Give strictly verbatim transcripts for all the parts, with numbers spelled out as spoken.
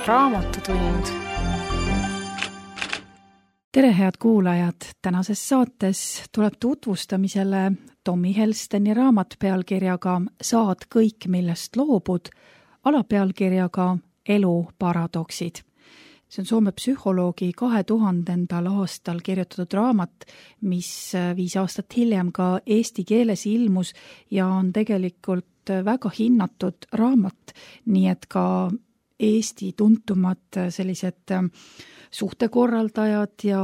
Raamatutund. Tere, head kuulajad! Tänases saates tuleb tutvustamisele Tommy Helsteni raamat pealkirjaga Saad kõik, millest loobud, alapealkirjaga Elu paradoksid. See on Soome psühholoogi kahe tuhandendal aastal kirjutatud raamat, mis viis aastat hiljem ka eesti keeles ilmus ja on tegelikult väga hinnatud raamat, nii et ka Eesti tuntumad sellised suhtekorraldajad ja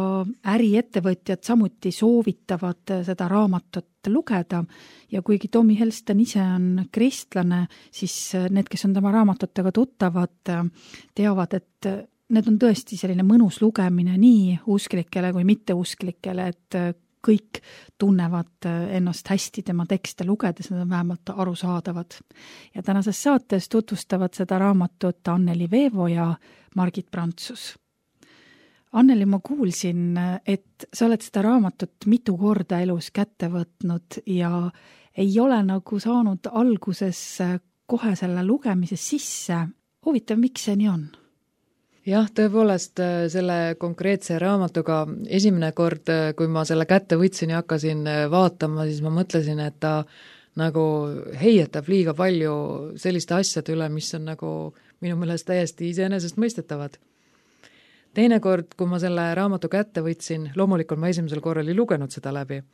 äriettevõtjad samuti soovitavad seda raamatut lugeda ja kuigi Tommy Helsten ise on kristlane, siis need, kes on tema raamatutega tuttavad, teavad, et need on tõesti selline mõnus lugemine nii usklikele kui mitteusklikele, et kõik tunnevad ennast hästi tema tekste lugedes, need on vähemalt arusaadavad. Ja tänases saates tutvustavad seda raamatut Anneli Veevo ja Margit Prantsus. Anneli, ma kuulsin, et sa oled seda raamatut mitu korda elus kätte võtnud ja ei ole nagu saanud alguses kohe selle lugemise sisse. Huvitav, miks see nii on? Jah, tõepoolest selle konkreetse raamatuga esimene kord, kui ma selle kätte võtsin ja hakkasin vaatama, siis ma mõtlesin, et ta nagu heietab liiga palju selliste asjade üle, mis on nagu minu meelest täiesti iseenesest mõistetavad. Teine kord, kui ma selle raamatu kätte võtsin, loomulikult ma esimesel korral ei lugenud seda läbi.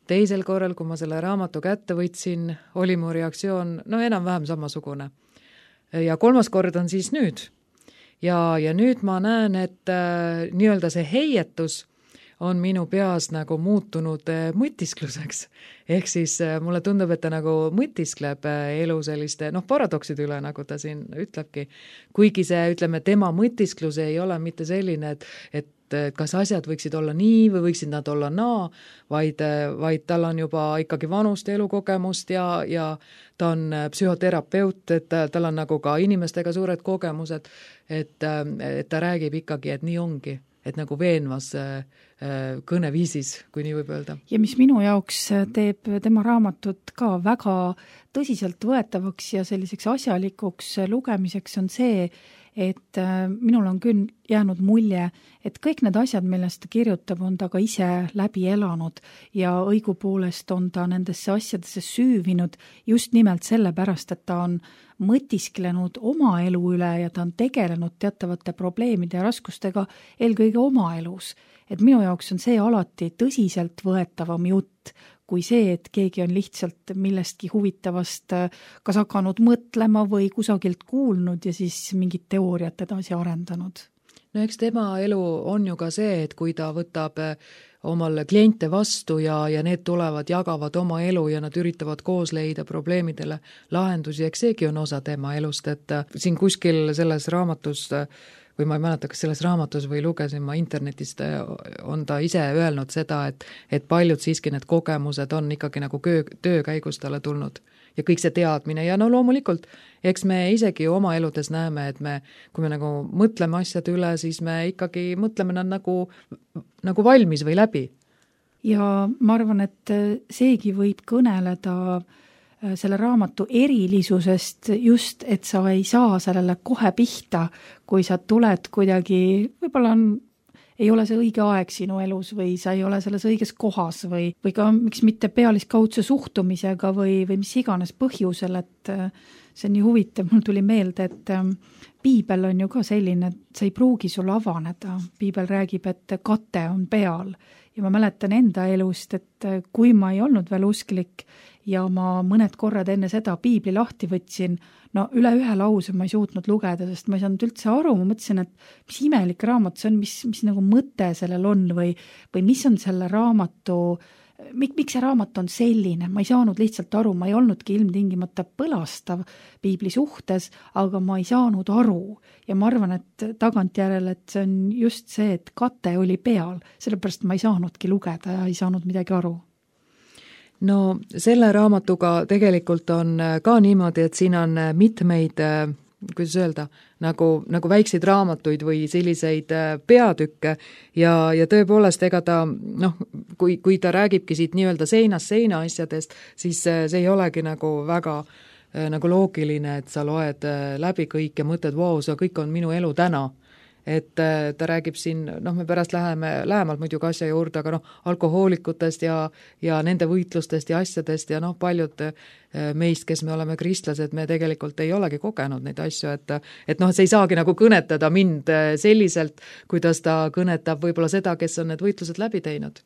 Teisel korral, kui ma selle raamatu kätte võtsin, oli mu reaktsioon no enam-vähem samasugune. Ja kolmas kord on siis nüüd. Ja, ja nüüd ma näen, et äh, nii-öelda see heietus on minu peas nagu muutunud äh, mõtiskluseks. Ehk siis äh, mulle tundub, et ta nagu mõtiskleb äh, elu selliste noh, paradokside üle, nagu ta siin ütlebki. Kuigi see, ütleme, tema mõtisklus ei ole mitte selline, et, et kas asjad võiksid olla nii või võiksid nad olla naa, vaid, vaid tal on juba ikkagi vanust elukogemust ja, ja ta on psühhoterapeut, et tal on nagu ka inimestega suured kogemused, et, et ta räägib ikkagi, et nii ongi, et nagu veenvas kõneviisis, kui nii võib öelda. Ja mis minu jaoks teeb tema raamatut ka väga tõsiselt võetavaks ja selliseks asjalikuks lugemiseks on see, et minul on küll jäänud mulje, et kõik need asjad, millest ta kirjutab, on ta ka ise läbi elanud ja õigupoolest on ta nendesse asjadesse süüvinud just nimelt sellepärast, et ta on mõtisklenud oma elu üle ja ta on tegelenud teatavate probleemide ja raskustega eelkõige oma elus. Et minu jaoks on see alati tõsiselt võetavam jutt, kui see, et keegi on lihtsalt millestki huvitavast kas hakanud mõtlema või kusagilt kuulnud ja siis mingit teooriat edasi arendanud. No eks tema elu on ju ka see, et kui ta võtab omal kliente vastu ja, ja need tulevad, jagavad oma elu ja nad üritavad koos leida probleemidele lahendusi, eks seegi on osa tema elust, et siin kuskil selles raamatus või ma ei mäleta, kas selles raamatus või lugesin ma internetist, on ta ise öelnud seda, et, et paljud siiski need kogemused on ikkagi nagu köö, töö käigus talle tulnud ja kõik see teadmine ja no loomulikult, eks me isegi oma eludes näeme, et me, kui me nagu mõtleme asjad üle, siis me ikkagi mõtleme nad nagu, nagu valmis või läbi. Ja ma arvan, et seegi võib kõneleda selle raamatu erilisusest just, et sa ei saa sellele kohe pihta, kui sa tuled kuidagi, võib-olla on, ei ole see õige aeg sinu elus või sa ei ole selles õiges kohas või, või ka miks mitte pealiskaudse suhtumisega või, või mis iganes põhjusel, et see on nii huvitav, mul tuli meelde, et piibel on ju ka selline, et see ei pruugi sul avaneda. Piibel räägib, et kate on peal ja ma mäletan enda elust, et kui ma ei olnud veel usklik ja ma mõned korrad enne seda piibli lahti võtsin, no üle ühe lause ma ei suutnud lugeda, sest ma ei saanud üldse aru, ma mõtlesin, et mis imelik raamat see on, mis, mis nagu mõte sellel on või, või mis on selle raamatu, mik, miks see raamat on selline, ma ei saanud lihtsalt aru, ma ei olnudki ilmtingimata põlastav piibli suhtes, aga ma ei saanud aru ja ma arvan, et tagantjärele, et see on just see, et kate oli peal, sellepärast ma ei saanudki lugeda ja ei saanud midagi aru. No selle raamatuga tegelikult on ka niimoodi, et siin on mitmeid, kuidas öelda, nagu, nagu väikseid raamatuid või selliseid peatükke ja, ja tõepoolest ega ta, noh, kui, kui ta räägibki siit nii-öelda seinast seina asjadest, siis see ei olegi nagu väga nagu loogiline, et sa loed läbi kõik ja mõtled, vau, see kõik on minu elu täna. Et ta räägib siin, noh, me pärast läheme lähemalt muidugi asja juurde, aga noh, alkohoolikutest ja, ja nende võitlustest ja asjadest ja noh, paljud meist, kes me oleme kristlased, me tegelikult ei olegi kogenud neid asju, et, et noh, see ei saagi nagu kõnetada mind selliselt, kuidas ta kõnetab võib-olla seda, kes on need võitlused läbi teinud.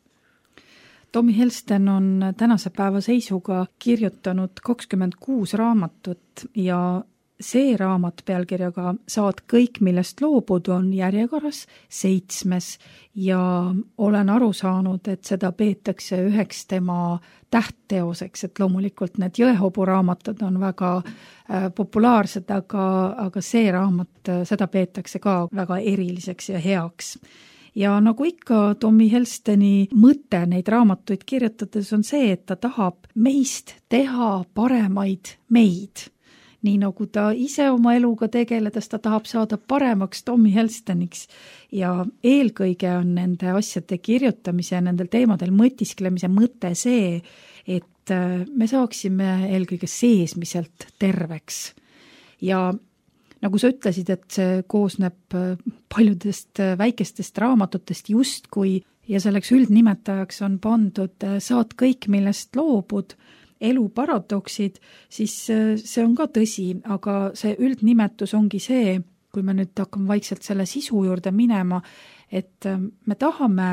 Tommy Helsten on tänase päeva seisuga kirjutanud kakskümmend kuus raamatut ja see raamat pealkirjaga Saad kõik, millest loobud, on järjekorras seitsmes ja olen aru saanud, et seda peetakse üheks tema tähtteoseks, et loomulikult need Jõehobu raamatud on väga äh, populaarsed, aga, aga see raamat, seda peetakse ka väga eriliseks ja heaks. Ja nagu ikka Tommy Helsteni mõte neid raamatuid kirjutades on see, et ta tahab meist teha paremaid meid. Nii nagu ta ise oma eluga tegeledes, ta tahab saada paremaks Tommy Helsteniks ja eelkõige on nende asjade kirjutamise ja nendel teemadel mõtisklemise mõte see, et me saaksime eelkõige seesmiselt terveks. Ja nagu sa ütlesid, et see koosneb paljudest väikestest raamatutest justkui ja selleks üldnimetajaks on pandud Saad kõik, millest loobud, elu paradoksid, siis see on ka tõsi, aga see üldnimetus ongi see, kui me nüüd hakkame vaikselt selle sisu juurde minema, et me tahame,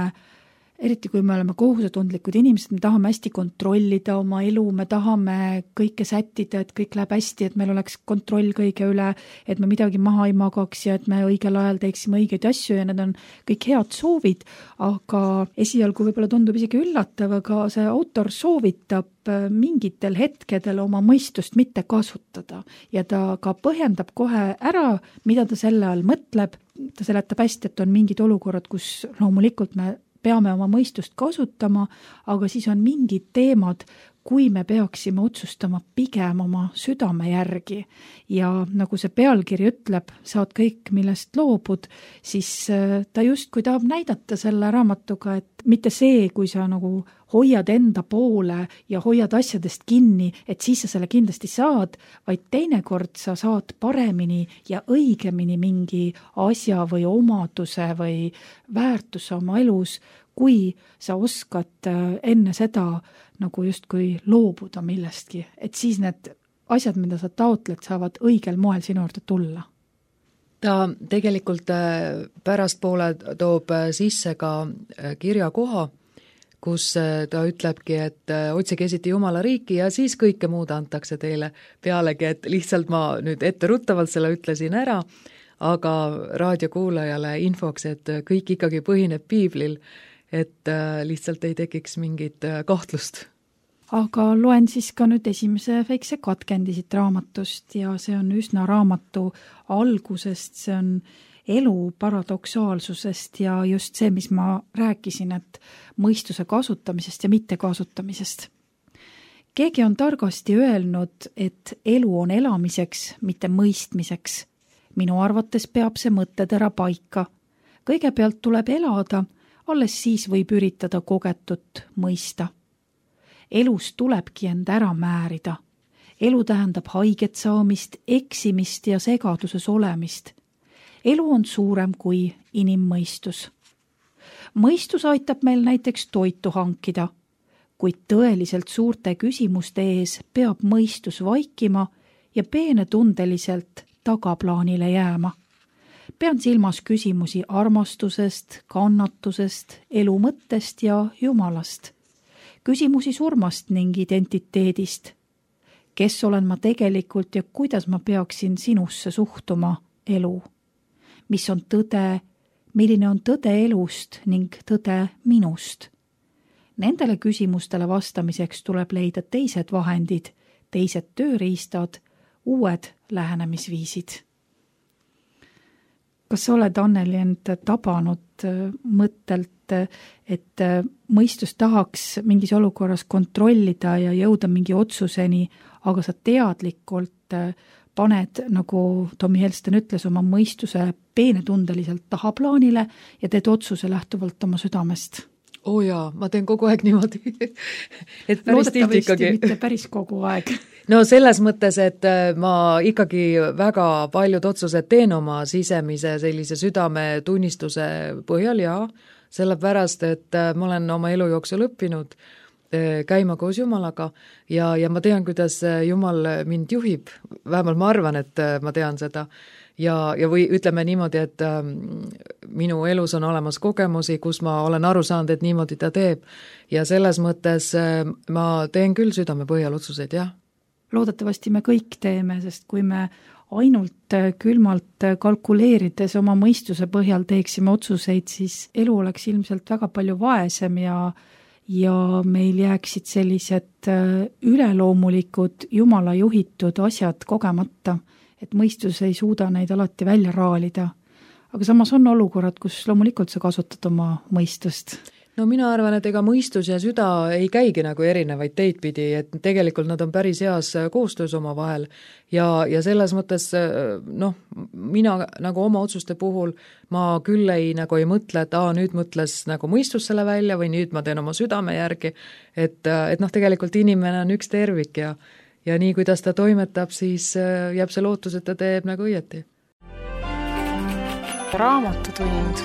eriti kui me oleme kohusetundlikud inimesed, me tahame hästi kontrollida oma elu, me tahame kõike sättida, et kõik läheb hästi, et meil oleks kontroll kõige üle, et me midagi maha ei magaks ja et me õigel ajal teeksime õigeid asju ja need on kõik head soovid, aga esialgu võib-olla tundub isegi üllatav, aga see autor soovitab mingitel hetkedel oma mõistust mitte kasutada ja ta ka põhjendab kohe ära, mida ta selle all mõtleb, ta seletab hästi, et on mingid olukorrad, kus loomulikult me peame oma mõistust kasutama, aga siis on mingid teemad, kui me peaksime otsustama pigem oma südame järgi ja nagu see pealkiri ütleb, saad kõik, millest loobud, siis ta justkui tahab näidata selle raamatuga, et mitte see, kui sa nagu hoiad enda poole ja hoiad asjadest kinni, et siis sa selle kindlasti saad, vaid teinekord sa saad paremini ja õigemini mingi asja või omaduse või väärtuse oma elus, kui sa oskad enne seda nagu justkui loobuda millestki, et siis need asjad, mida sa taotled, saavad õigel moel sinu juurde tulla. Ta tegelikult pärastpoole toob sisse ka kirjakoha, kus ta ütlebki, et otsige esiti Jumala riiki ja siis kõike muud antakse teile pealegi, et lihtsalt ma nüüd etteruttavalt selle ütlesin ära, aga raadiokuulajale infoks, et kõik ikkagi põhineb piiblil, et lihtsalt ei tekiks mingit kahtlust. Aga loen siis ka nüüd esimese väikse katkendi siit raamatust ja see on üsna raamatu algusest, see on elu paradoksaalsusest ja just see, mis ma rääkisin, et mõistuse kasutamisest ja mitte kasutamisest. Keegi on targasti öelnud, et elu on elamiseks, mitte mõistmiseks. Minu arvates peab see mõttetera paika. Kõigepealt tuleb elada, alles siis võib üritada kogetut mõista. Elus tulebki end ära määrida. Elu tähendab haiget saamist, eksimist ja segaduses olemist. Elu on suurem kui inimmõistus. Mõistus aitab meil näiteks toitu hankida, kuid tõeliselt suurte küsimuste ees peab mõistus vaikima ja peenetundeliselt tagaplaanile jääma. Pean silmas küsimusi armastusest, kannatusest, elu mõttest ja Jumalast. Küsimusi surmast ning identiteedist. Kes olen ma tegelikult ja kuidas ma peaksin sinusse suhtuma, elu? Mis on tõde, milline on tõde elust ning tõde minust? Nendele küsimustele vastamiseks tuleb leida teised vahendid, teised tööriistad, uued lähenemisviisid. Kas sa oled, Anneli, end tabanud mõttelt, et mõistus tahaks mingis olukorras kontrollida ja jõuda mingi otsuseni, aga sa teadlikult paned, nagu Tommy Helsten ütles, oma mõistuse peenetundeliselt tahaplaanile ja teed otsuse lähtuvalt oma südamest? oo jaa, ma teen kogu aeg niimoodi. Et päris tihti ikkagi. Mitte päris kogu aeg. No selles mõttes, et ma ikkagi väga paljud otsused teen oma sisemise sellise südame tunnistuse põhjal ja sellepärast, et ma olen oma elu jooksul õppinud käima koos Jumalaga ja, ja ma tean, kuidas Jumal mind juhib. Vähemalt ma arvan, et ma tean seda. Ja, ja või ütleme niimoodi, et ähm, minu elus on olemas kogemusi, kus ma olen aru saanud, et niimoodi ta teeb. Ja selles mõttes äh, ma teen küll südame põhjal otsuseid, jah. Loodetavasti me kõik teeme, sest kui me ainult külmalt kalkuleerides oma mõistuse põhjal teeksime otsuseid, siis elu oleks ilmselt väga palju vaesem ja ja meil jääksid sellised üleloomulikud Jumala juhitud asjad kogemata, et mõistus ei suuda neid alati välja raalida. Aga samas on olukorrad, kus loomulikult sa kasutad oma mõistust. No mina arvan, et ega mõistus ja süda ei käigi nagu erinevaid teid pidi, et tegelikult nad on päris heas koostöös oma vahel ja, ja selles mõttes noh, mina nagu oma otsuste puhul ma küll ei, nagu ei mõtle, et aa, nüüd mõtles nagu mõistus selle välja või nüüd ma teen oma südame järgi, et, et noh, tegelikult inimene on üks tervik ja, ja nii, kuidas ta toimetab, siis jääb see lootus, et ta teeb nagu õieti. Raamatutund.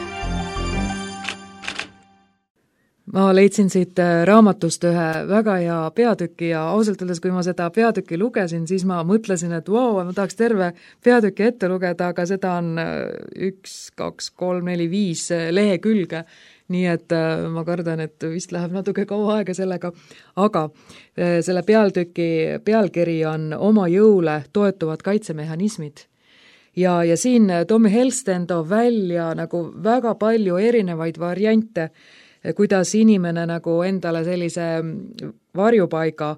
Ma leidsin siit raamatust ühe väga hea peatüki ja ausalt öeldes, kui ma seda peatüki lugesin, siis ma mõtlesin, et vau, ma tahaks terve peatüki ette lugeda, aga seda on üks, kaks, kolm, neli, viis lehekülge, nii et ma kardan, et vist läheb natuke kaua aega sellega, aga selle peatüki pealkiri on Oma jõule toetuvad kaitsemehhanismid. Ja, ja siin Tommy Helsten toob välja nagu väga palju erinevaid variante, kuidas inimene nagu endale sellise varjupaiga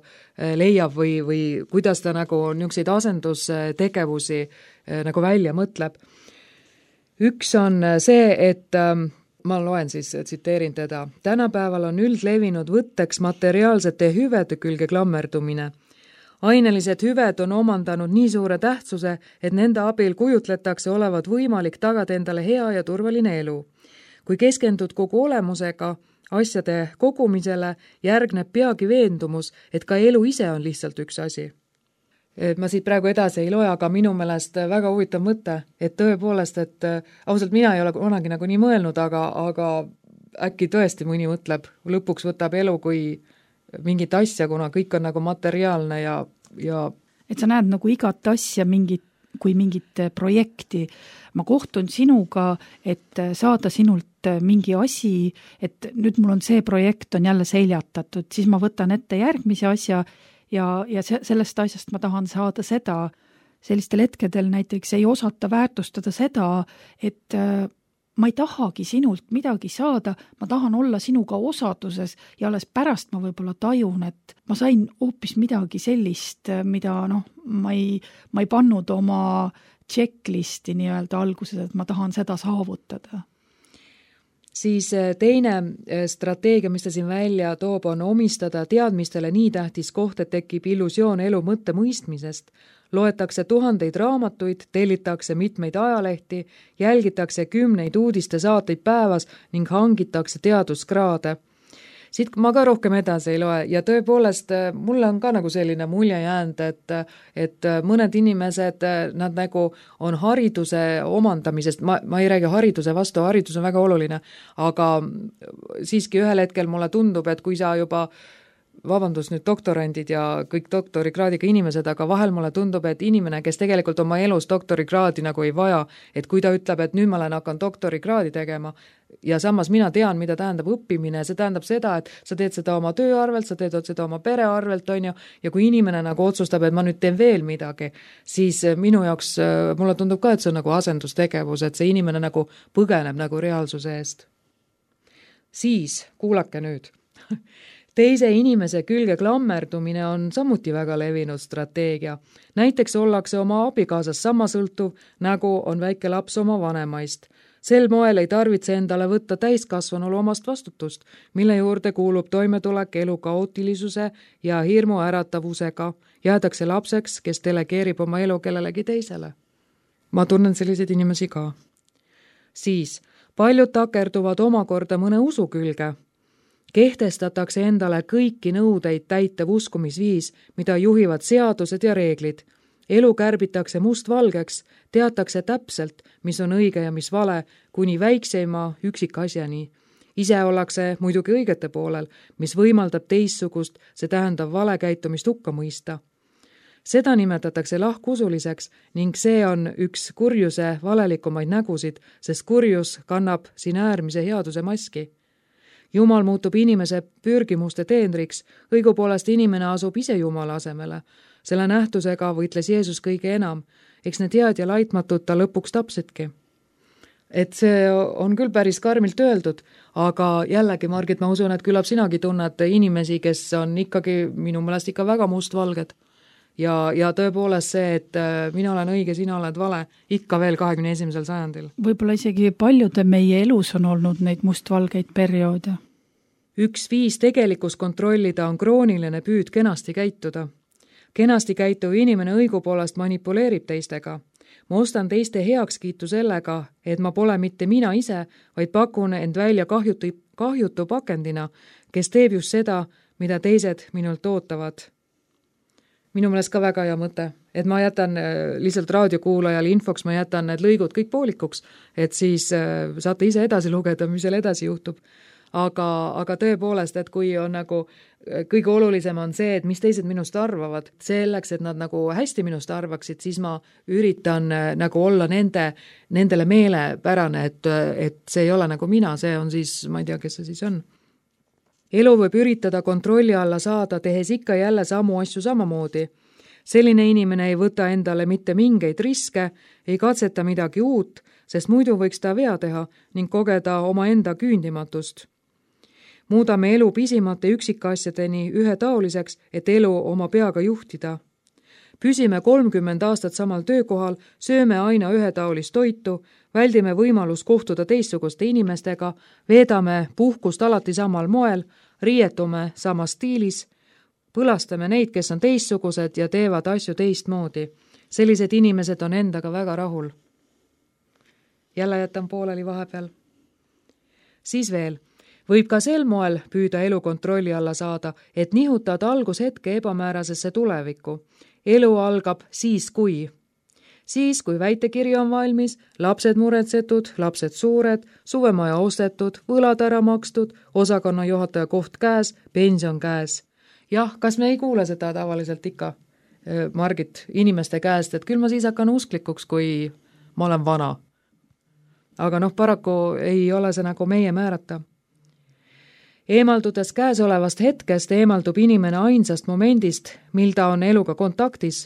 leiab või, või kuidas ta nagu niisuguseid asendustegevusi nagu välja mõtleb. Üks on see, et ma loen siis, tsiteerin teda, tänapäeval on üldlevinud võtteks materiaalsete hüvede külge klammerdumine. Ainelised hüved on omandanud nii suure tähtsuse, et nende abil kujutletakse olevat võimalik tagada endale hea ja turvaline elu. Kui keskendud kogu olemusega asjade kogumisele, järgneb peagi veendumus, et ka elu ise on lihtsalt üks asi. Et ma siit praegu edasi ei loe, aga minu meelest väga huvitav mõte, et tõepoolest, et ausalt mina ei ole kunagi nagu nii mõelnud, aga, aga äkki tõesti mõni mõtleb, lõpuks võtab elu kui mingit asja, kuna kõik on nagu materiaalne ja, ja et sa näed nagu igat asja mingit kui mingit projekti. Ma kohtun sinuga, et saada sinult mingi asi, et nüüd mul on see projekt on jälle seljatatud, siis ma võtan ette järgmise asja ja, ja sellest asjast ma tahan saada seda. Sellistel hetkedel näiteks ei osata väärtustada seda, et ma ei tahagi sinult midagi saada, ma tahan olla sinuga osaduses ja alles pärast ma võib-olla tajun, et ma sain hoopis midagi sellist, mida noh, ma ei, ma ei pannud oma checklisti nii-öelda alguses, et ma tahan seda saavutada. Siis teine strateegia, mis ta siin välja toob, on omistada teadmistele nii tähtis koht, et tekib illusioon elu mõtte mõistmisest. Loetakse tuhandeid raamatuid, tellitakse mitmeid ajalehti, jälgitakse kümneid uudiste saateid päevas ning hangitakse teaduskraade. Siit ma ka rohkem edasi ei loe ja tõepoolest mulle on ka nagu selline mulje jäänud, et, et mõned inimesed, nad nagu on hariduse omandamisest, ma, ma ei räägi hariduse vastu, haridus on väga oluline, aga siiski ühel hetkel mulle tundub, et kui sa juba vabandust nüüd doktorandid ja kõik doktorikraadiga inimesed, aga vahel mulle tundub, et inimene, kes tegelikult oma elus doktorikraadi nagu ei vaja, et kui ta ütleb, et nüüd ma olen hakanud doktorikraadi tegema ja samas mina tean, mida tähendab õppimine, see tähendab seda, et sa teed seda oma töö arvelt, sa teed seda oma pere arvelt, on ju, ja kui inimene nagu otsustab, et ma nüüd teen veel midagi, siis minu jaoks, mulle tundub ka, et see on nagu asendustegevus, et see inimene nagu põgeneb nagu reaalsuse eest. Siis, kuulake nüüd. Teise inimese külge klammerdumine on samuti väga levinud strateegia. Näiteks ollakse oma abikaasast sama sõltuv, nagu on väike laps oma vanemaist. Sel moel ei tarvitse endale võtta täiskasvanul omast vastutust, mille juurde kuulub toimetulek elu kaootilisuse ja hirmu äratavusega. Jäädakse lapseks, kes delegeerib oma elu kellelegi teisele. Ma tunnen selliseid inimesi ka. Siis, paljud takerduvad omakorda mõne usu külge. Kehtestatakse endale kõiki nõudeid täitev uskumisviis, mida juhivad seadused ja reeglid. Elu kärbitakse mustvalgeks, teatakse täpselt, mis on õige ja mis vale, kuni väikseima üksikasjani. Ise ollakse muidugi õigete poolel, mis võimaldab teistsugust, see tähendab valekäitumist hukka mõista. Seda nimetatakse lahkusuliseks ning see on üks kurjuse valelikumaid nägusid, sest kurjus kannab siin äärmise headuse maski. Jumal muutub inimese pürgimuste teenriks, õigupoolest inimene asub ise Jumala asemele. Selle nähtusega võitles Jeesus kõige enam, eks need head ja laitmatud ta lõpuks tapsidki. Et see on küll päris karmilt öeldud, aga jällegi, Margit, ma usun, et küllap sinagi tunned inimesi, kes on ikkagi minu meelest ikka väga mustvalged. Ja, ja tõepoolest see, et mina olen õige, sina oled vale, ikka veel kahekümne esimesel sajandil. Võib-olla isegi paljude meie elus on olnud neid mustvalgeid perioode. Üks viis tegelikus kontrollida on krooniline püüd kenasti käituda. Kenasti käituv inimene õigupoolest manipuleerib teistega. Ma ostan teiste heakskiitu sellega, et ma pole mitte mina ise, vaid pakun end välja kahjutu, kahjutu pakendina, kes teeb just seda, mida teised minult ootavad. Minu meelest ka väga hea mõte, et ma jätan lihtsalt raadiokuulajal infoks, ma jätan need lõigud kõik poolikuks, et siis saate ise edasi lugeda, mis seal edasi juhtub. Aga, aga tõepoolest, et kui on nagu kõige olulisem on see, et mis teised minust arvavad, selleks, et nad nagu hästi minust arvaksid, siis ma üritan nagu olla nende, nendele meelepärane, et, et see ei ole nagu mina, see on siis, ma ei tea, kes see siis on. Elu võib üritada kontrolli alla saada, tehes ikka jälle samu asju samamoodi. Selline inimene ei võta endale mitte mingeid riske, ei katseta midagi uut, sest muidu võiks ta vea teha ning kogeda oma enda küündimatust. Muudame elu pisimate üksikasjadeni ühetaoliseks, et elu oma peaga juhtida. Püsime kolmkümmend aastat samal töökohal, sööme aina ühetaolist toitu, väldime võimalus kohtuda teistsuguste inimestega, veedame puhkust alati samal moel, riietume samas stiilis, põlastame neid, kes on teistsugused ja teevad asju teistmoodi. Sellised inimesed on endaga väga rahul. Jälle jätan pooleli vahepeal. Siis veel. Võib ka sel moel püüda elu kontrolli alla saada, et nihutad algushetke ebamäärasesse tulevikku. Elu algab siis kui. Siis, kui väitekiri on valmis, lapsed muretsetud, lapsed suured, suvemaja ostetud, võlad ära makstud, osakonna juhataja koht käes, pension käes. Jah, kas me ei kuule seda tavaliselt ikka, Margit, inimeste käest, et küll ma siis hakkan usklikuks, kui ma olen vana. Aga noh, paraku ei ole see nagu meie määrata. Eemaldudes käesolevast hetkest eemaldub inimene ainsast momendist, mil ta on eluga kontaktis.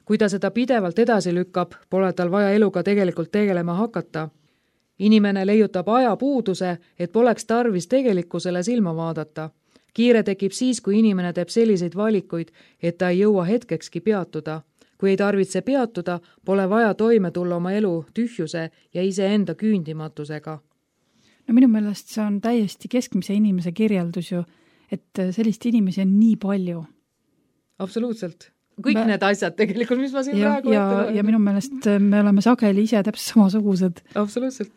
Kui ta seda pidevalt edasi lükkab, pole tal vaja eluga tegelikult tegelema hakata. Inimene leiutab aja puuduse, et poleks tarvis tegelikkusele silma vaadata. Kiire tekib siis, kui inimene teeb selliseid valikuid, et ta ei jõua hetkekski peatuda. Kui ei tarvitse peatuda, pole vaja toime tulla oma elu tühjuse ja iseenda küündimatusega. No minu meelest see on täiesti keskmise inimese kirjeldus ju, et sellist inimesi on nii palju. Absoluutselt. Kõik me... need asjad tegelikult, mis ma siin ja, praegu ja, ja minu meelest me oleme sageli ise täpselt samasugused. Absoluutselt.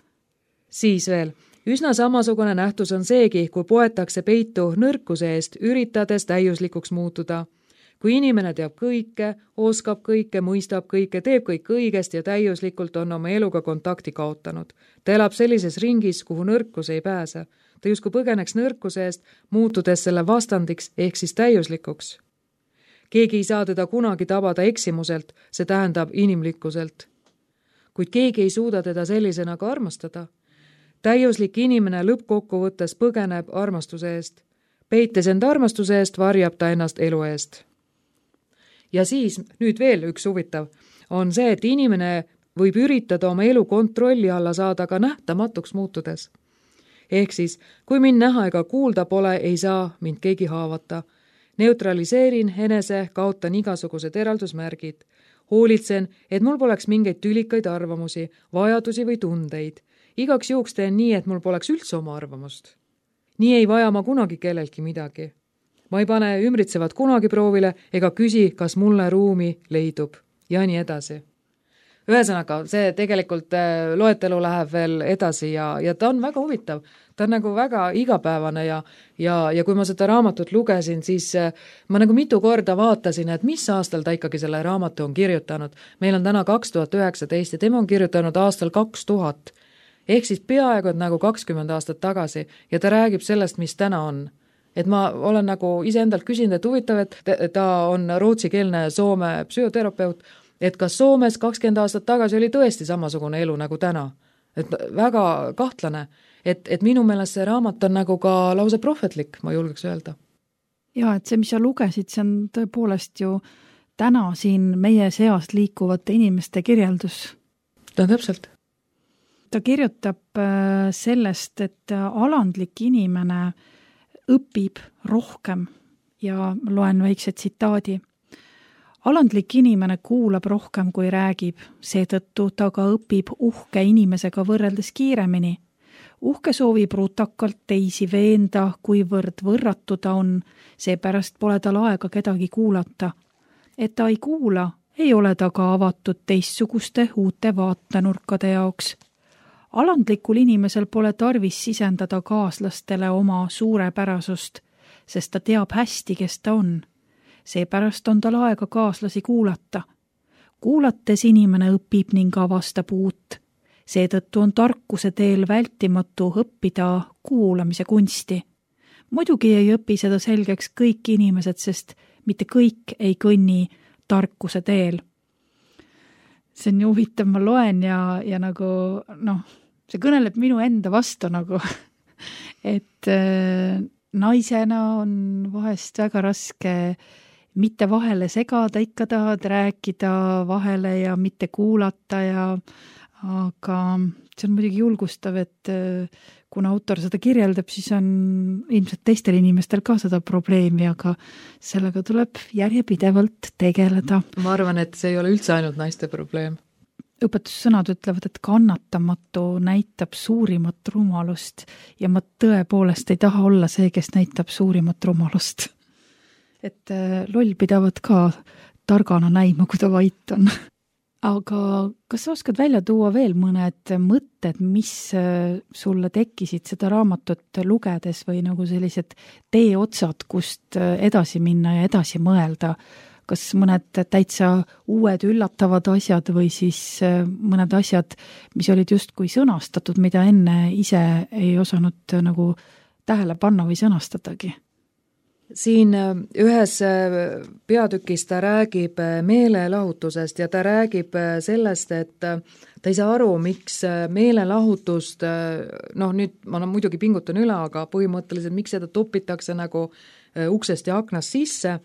Siis veel. Üsna samasugune nähtus on seegi, kui poetakse peitu nõrkuse eest, üritades täiuslikuks muutuda. Kui inimene teab kõike, oskab kõike, mõistab kõike, teeb kõik õigesti ja täiuslikult on oma eluga kontakti kaotanud. Ta elab sellises ringis, kuhu nõrkus ei pääse. Ta justkui põgeneks nõrkuse eest, muutudes selle vastandiks ehk siis täiuslikuks. Keegi ei saa teda kunagi tabada eksimuselt, see tähendab inimlikkuselt. Kuid keegi ei suuda teda sellisena ka armastada. Täiuslik inimene lõppkokkuvõttes põgeneb armastuse eest. Peites end armastuse eest, varjab ta ennast elu eest. Ja siis, nüüd veel üks huvitav, on see, et inimene võib üritada oma elu kontrolli alla saada ka nähtamatuks muutudes. Ehk siis, kui mind näha ega kuulda pole, ei saa mind keegi haavata. Neutraliseerin enese, kaotan igasugused eraldusmärgid. Hoolitsen, et mul poleks mingeid tülikaid arvamusi, vajadusi või tundeid. Igaks juhuks teen nii, et mul poleks üldse oma arvamust. Nii ei vaja ma kunagi kellelgi midagi. Ma ei pane ümbritsevad kunagi proovile ega küsi, kas mulle ruumi leidub ja nii edasi. ühesõnaga, see tegelikult loetelu läheb veel edasi ja, ja ta on väga huvitav. Ta on nagu väga igapäevane ja, ja, ja kui ma seda raamatut lugesin, siis ma nagu mitu korda vaatasin, et mis aastal ta ikkagi selle raamatu on kirjutanud. Meil on täna kaks tuhat üheksateist ja tema on kirjutanud aastal kaks tuhat. Ehk siis peaaegu et nagu kakskümmend aastat tagasi ja ta räägib sellest, mis täna on. Et ma olen nagu iseendalt küsinud, et huvitav, et ta on rootsikeelne Soome psühhoterapeut, et kas Soomes kakskümmend aastat tagasi oli tõesti samasugune elu nagu täna. Et väga kahtlane, et, et minu meelest see raamat on nagu ka lause prohvetlik, ma julgeks öelda. Ja, et see, mis sa lugesid, see on tõepoolest ju täna siin meie seast liikuvate inimeste kirjeldus. Ta täpselt. Ta kirjutab sellest, et alandlik inimene õpib rohkem ja loen väikse tsitaadi. Alandlik inimene kuulab rohkem kui räägib, seetõttu ta ka õpib uhke inimesega võrreldes kiiremini. Uhke soovib rutakalt teisi veenda, kuivõrd võrratu ta on, seepärast pole tal aega kedagi kuulata. Et ta ei kuula, ei ole ta ka avatud teistsuguste uute vaatenurkade jaoks. Alandlikul inimesel pole tarvis sisendada kaaslastele oma suurepärasust, sest ta teab hästi, kes ta on. Seepärast on tal aega kaaslasi kuulata. Kuulates inimene õpib ning avastab uut. Seetõttu on tarkuse teel vältimatu õppida kuulamise kunsti. Muidugi ei õpi seda selgeks kõik inimesed, sest mitte kõik ei kõnni tarkuse teel. See on ju huvitav, ma loen ja, ja nagu, noh, see kõneleb minu enda vastu nagu, et äh, naisena on vahest väga raske mitte vahele segada, ikka tahad rääkida vahele ja mitte kuulata ja aga see on muidugi julgustav, et kuna autor seda kirjeldab, siis on ilmselt teistel inimestel ka seda probleemi, aga sellega tuleb järjepidevalt tegeleda. Ma arvan, et see ei ole üldse ainult naiste probleem. Õpetussõnad ütlevad, et kannatamatu näitab suurimat rumalust ja ma tõepoolest ei taha olla see, kes näitab suurimat rumalust. Et loll pidavad ka targana näima, kui ta vait on. Aga kas sa oskad välja tuua veel mõned mõtted, mis sulle tekkisid seda raamatut lugedes või nagu sellised teeotsad, kust edasi minna ja edasi mõelda? Kas mõned täitsa uued üllatavad asjad või siis mõned asjad, mis olid just kui sõnastatud, mida enne ise ei osanud nagu tähele panna või sõnastatagi? Siin ühes peatükis ta räägib meelelahutusest ja ta räägib sellest, et ta ei saa aru, miks meelelahutust, noh nüüd ma muidugi pingutan üle, aga põhimõtteliselt miks seda topitakse nagu uksest ja aknast sisse,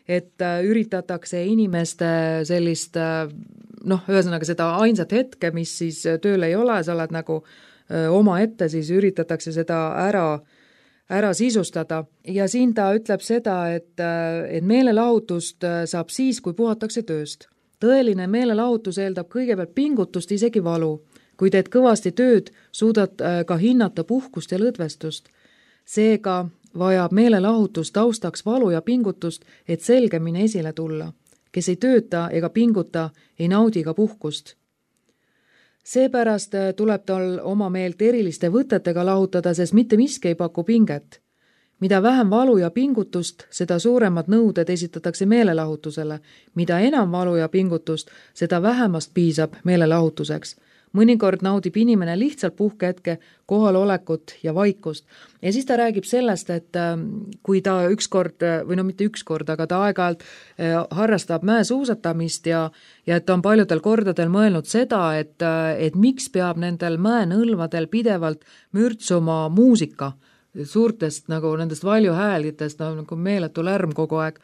et üritatakse inimeste sellist, noh, ühesõnaga seda ainsat hetke, mis siis tööl ei ole, sa oled nagu oma ette, siis üritatakse seda ära ära sisustada ja siin ta ütleb seda, et, et meelelahutust saab siis, kui puhatakse tööst. Tõeline meelelahutus eeldab kõigepealt pingutust, isegi valu. Kui teed kõvasti tööd, suudad ka hinnata puhkust ja lõdvestust. Seega vajab meelelahutus taustaks valu ja pingutust, et selgemini esile tulla. Kes ei tööta ega pinguta, ei naudi ka puhkust. Seepärast tuleb tal oma meelt eriliste võtetega lahutada, sest mitte miski ei paku pinget. Mida vähem valu ja pingutust, seda suuremad nõuded esitatakse meelelahutusele. Mida enam valu ja pingutust, seda vähemast piisab meelelahutuseks. Mõnikord naudib inimene lihtsalt puhkehetke, kohalolekut ja vaikust. Ja siis ta räägib sellest, et kui ta ükskord, või no mitte ükskord, aga ta aeg-ajalt harrastab mäesuusatamist ja, ja et ta on paljudel kordadel mõelnud seda, et, et miks peab nendel mäenõlvadel pidevalt mürtsuma muusika suurtest nagu nendest valjuhäälitest, nagu meeletu lärm kogu aeg.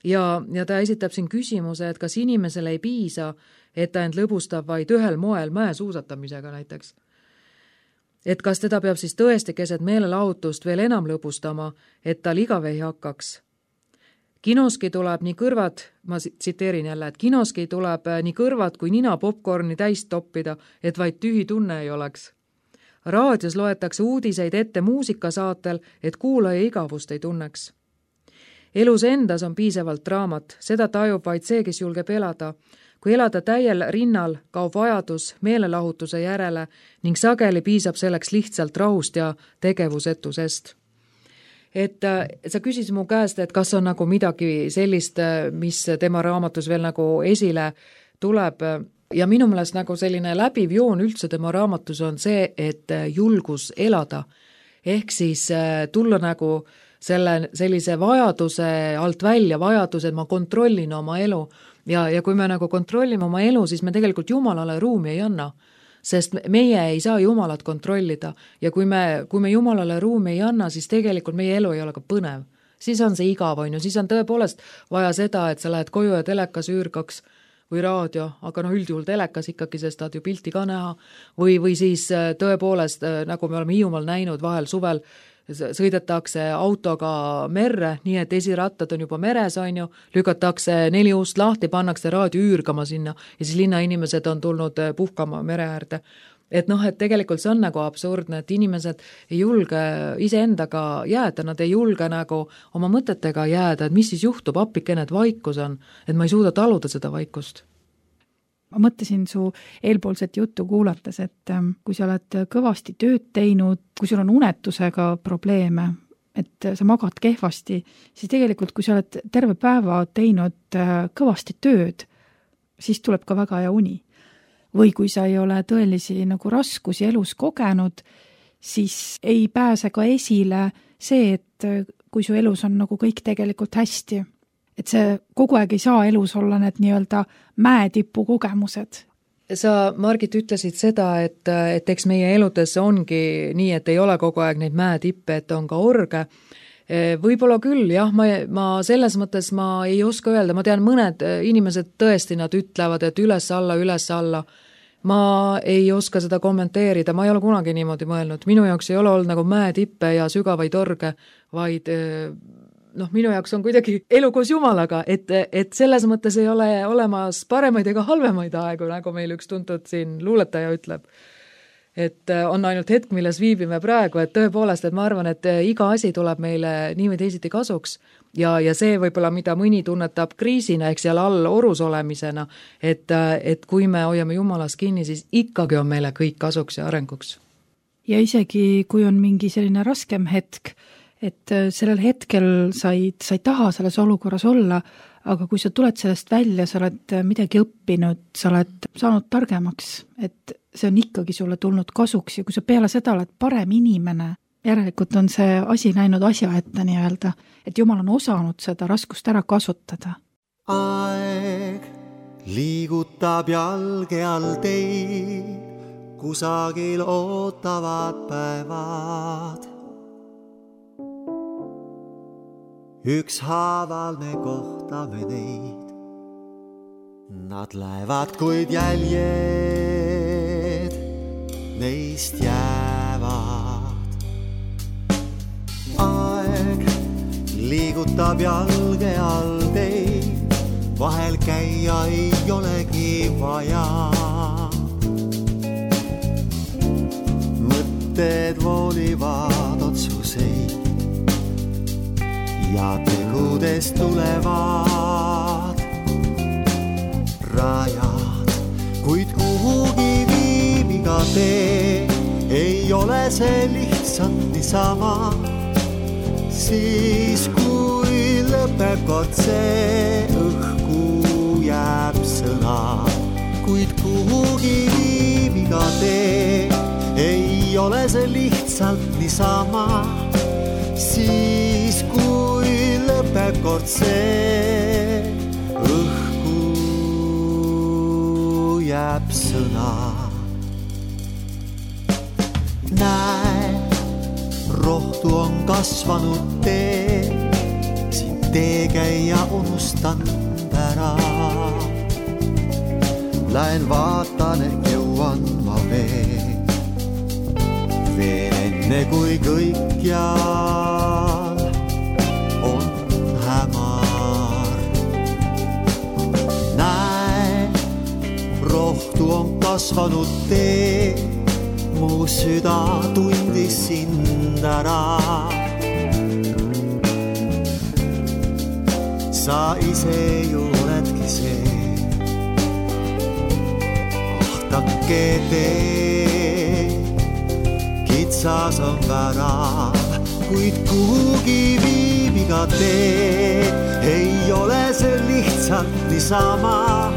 Ja, ja ta esitab siin küsimuse, et kas inimesel ei piisa, et ta end lõbustab vaid ühel moel mäesuusatamisega näiteks. Et kas teda peab siis tõesti keset meelelahutust veel enam lõbustama, et tal igav ei hakkaks. Kinoski tuleb nii kõrvad, ma tsiteerin jälle, et kinoski tuleb nii kõrvad kui nina popcorni täis toppida, et vaid tühi tunne ei oleks. Raadios loetakse uudiseid ette muusikasaatel, et kuulaja igavust ei tunneks. Elus endas on piisavalt draamat, seda tajub vaid see, kes julgeb elada. Kui elada täiel rinnal, kaob vajadus meelelahutuse järele ning sageli piisab selleks lihtsalt rahust ja tegevusetusest. Et sa küsis mu käest, et kas on nagu midagi sellist, mis tema raamatus veel nagu esile tuleb. Ja minu meelest nagu selline läbiv joon üldse tema raamatus on see, et julgus elada. Ehk siis tulla nagu selle, sellise vajaduse alt välja, vajaduse, et ma kontrollin oma elu. Ja, ja kui me nagu kontrollime oma elu, siis me tegelikult Jumalale ruumi ei anna. Sest meie ei saa Jumalat kontrollida ja kui me, kui me Jumalale ruumi ei anna, siis tegelikult meie elu ei ole ka põnev. Siis on see igav, on ju, siis on tõepoolest vaja seda, et sa lähed koju ja telekas üürgaks või raadio, aga no üldjuhul telekas ikkagi, sest tahad ju pilti ka näha, või, või siis tõepoolest, nagu me oleme Hiiumaal näinud vahel suvel, sõidetakse autoga merre, nii et esirattad on juba meres, on ju, lükatakse neli ust lahti, pannakse raadio üürgama sinna ja siis linnainimesed on tulnud puhkama mere äärde. Et noh, et tegelikult see on nagu absurdne, et inimesed ei julge iseendaga jääda, nad ei julge nagu oma mõtetega jääda, et mis siis juhtub, appikene, et vaikus on, et ma ei suuda taluda seda vaikust. Ma mõtlesin su eelpoolset juttu kuulates, et kui sa oled kõvasti tööd teinud, kui sul on unetusega probleeme, et sa magad kehvasti, siis tegelikult kui sa oled terve päeva teinud kõvasti tööd, siis tuleb ka väga hea uni. Või kui sa ei ole tõelisi nagu raskusi elus kogenud, siis ei pääse ka esile see, et kui su elus on nagu kõik tegelikult hästi. Et see kogu aeg ei saa elus olla need nii-öelda mäetipu kogemused. Sa, Margit, ütlesid seda, et, et eks meie eludes ongi nii, et ei ole kogu aeg neid mäetippe, et on ka orge. Võib-olla küll, jah, ma, ma selles mõttes ma ei oska öelda, ma tean mõned inimesed tõesti nad ütlevad, et üles alla, üles alla. Ma ei oska seda kommenteerida, ma ei ole kunagi niimoodi mõelnud. Minu jaoks ei ole olnud nagu mäetippe ja sügavaid orge, vaid noh, minu jaoks on kuidagi elu koos Jumalaga, et, et selles mõttes ei ole olemas paremaid ega halvemaid aegu, nagu meil üks tuntud siin luuletaja ütleb. Et on ainult hetk, milles viibime praegu, et tõepoolest, et ma arvan, et iga asi tuleb meile nii või teisiti kasuks ja, ja see võib-olla, mida mõni tunnetab kriisina, ehk seal all orus olemisena, et, et kui me hoiame Jumalas kinni, siis ikkagi on meile kõik kasuks ja arenguks. Ja isegi kui on mingi selline raskem hetk, et sellel hetkel sa ei, sa ei taha selles olukorras olla, aga kui sa tuled sellest välja, sa oled midagi õppinud, sa oled saanud targemaks, et see on ikkagi sulle tulnud kasuks ja kui sa peale seda oled parem inimene, järelikult on see asi läinud asja ette nii-öelda, et Jumal on osanud seda raskust ära kasutada. Aeg liigutab jalge all teid, kusagil ootavad päevad. Ükshaaval me kohtame neid, nad lähevad, kuid jäljed neist jäävad. Aeg liigutab jalge all teid, vahel käia ei olegi vaja. Mõtted voolivad otsuseid ja tegudest tulevad rajad, kuid kuhugi viibiga tee, ei ole see lihtsalt niisama. Siis kui lõpeb kord see, õhku jääb sõna, kuid kuhugi viibiga tee, ei ole see lihtsalt niisama. Siis kui lõpeb kord see, õhku jääb sõna. Näe, rohtu on kasvanud tee, siin teekäija unustanud ära. Lähen vaatan, ehk jõuan ma veel, veel enne kui kõikjal on hämar. Näe, rohtu on kasvanud tee, mu süda tundis sind ära. Sa ise ju oledki see, vaadake tee, kitsas on värav, kuid kuhugi viib iga tee. Ei ole see lihtsalt niisama,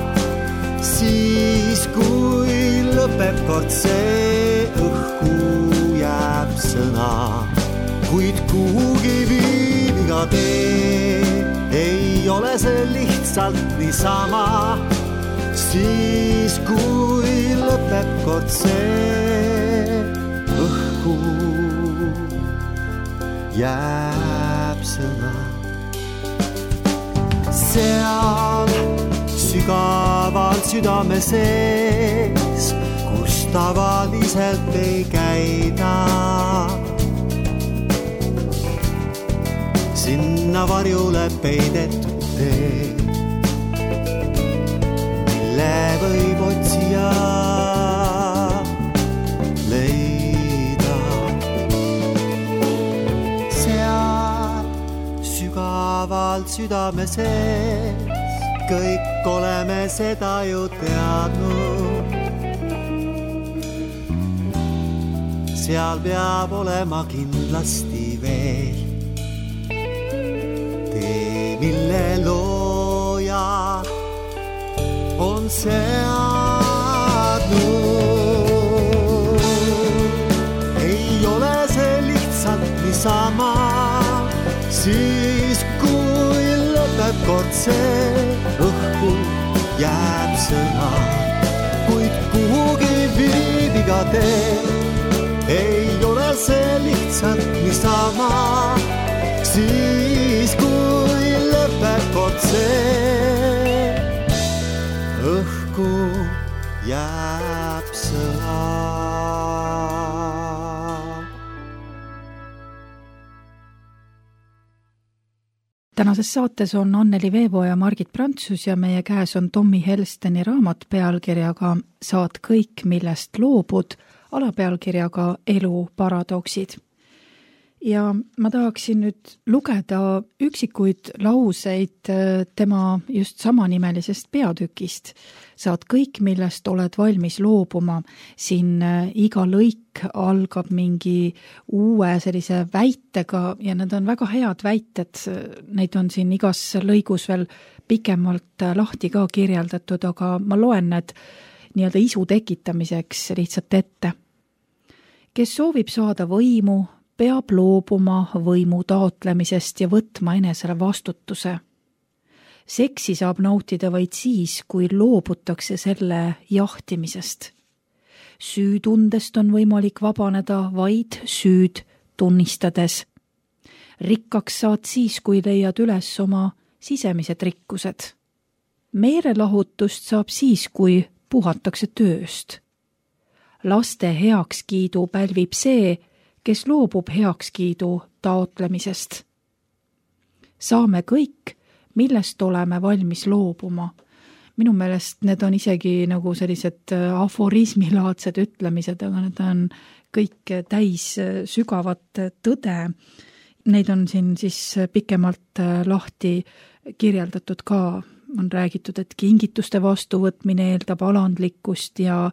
siis kui lõpeb kord see, õhku jääb sõna. Kuid kuhugi viib iga tee, ei ole see lihtsalt niisama, siis kui lõpeb kord see, õhku jääb sõna. Seal sügaval südame sees, kus tavaliselt ei käida, sinna varjule peidetud tee, mille võib otsija leida. Seal sügavalt südame sees, kõik oleme seda ju teadnud. Seal peab olema kindlasti veel tee, mille looja on seadnud. Ei ole see lihtsalt niisama, siis kui lõpeb kord see, õhku jääb sõna. Kuid kuhugi viib iga tee, ei ole see lihtsalt niisama, siis kui lõpeb kord see, õhku jääb sõna. Tänases saates on Anneli Veebo ja Margit Prantsus ja meie käes on Tommy Helsteni raamat pealkirjaga Saad kõik, millest loobud, alapealkirjaga Elu paradoksid. Ja ma tahaksin nüüd lugeda üksikuid lauseid tema just samanimelisest peatükist. Saad kõik, millest oled valmis loobuma. Siin iga lõik algab mingi uue sellise väitega ja need on väga head väited. Neid on siin igas lõigus veel pikemalt lahti ka kirjeldatud, aga ma loen need nii-öelda isu tekitamiseks lihtsalt ette. Kes soovib saada võimu, peab loobuma võimu taotlemisest ja võtma enesele vastutuse. Seksi saab nautida vaid siis, kui loobutakse selle jahtimisest. Süütundest on võimalik vabaneda vaid süüd tunnistades. Rikkaks saad siis, kui leiad üles oma sisemised rikkused. Meelelahutust saab siis, kui puhatakse tööst. Laste heakskiidu pälvib see, kes loobub heakskiidu taotlemisest. Saame kõik, millest oleme valmis loobuma. Minu meelest need on isegi nagu sellised aforismilaadsed ütlemised, aga need on kõik täis sügavat tõde. Neid on siin siis pikemalt lahti kirjeldatud ka. On räägitud, et kingituste vastuvõtmine eeldab alandlikkust ja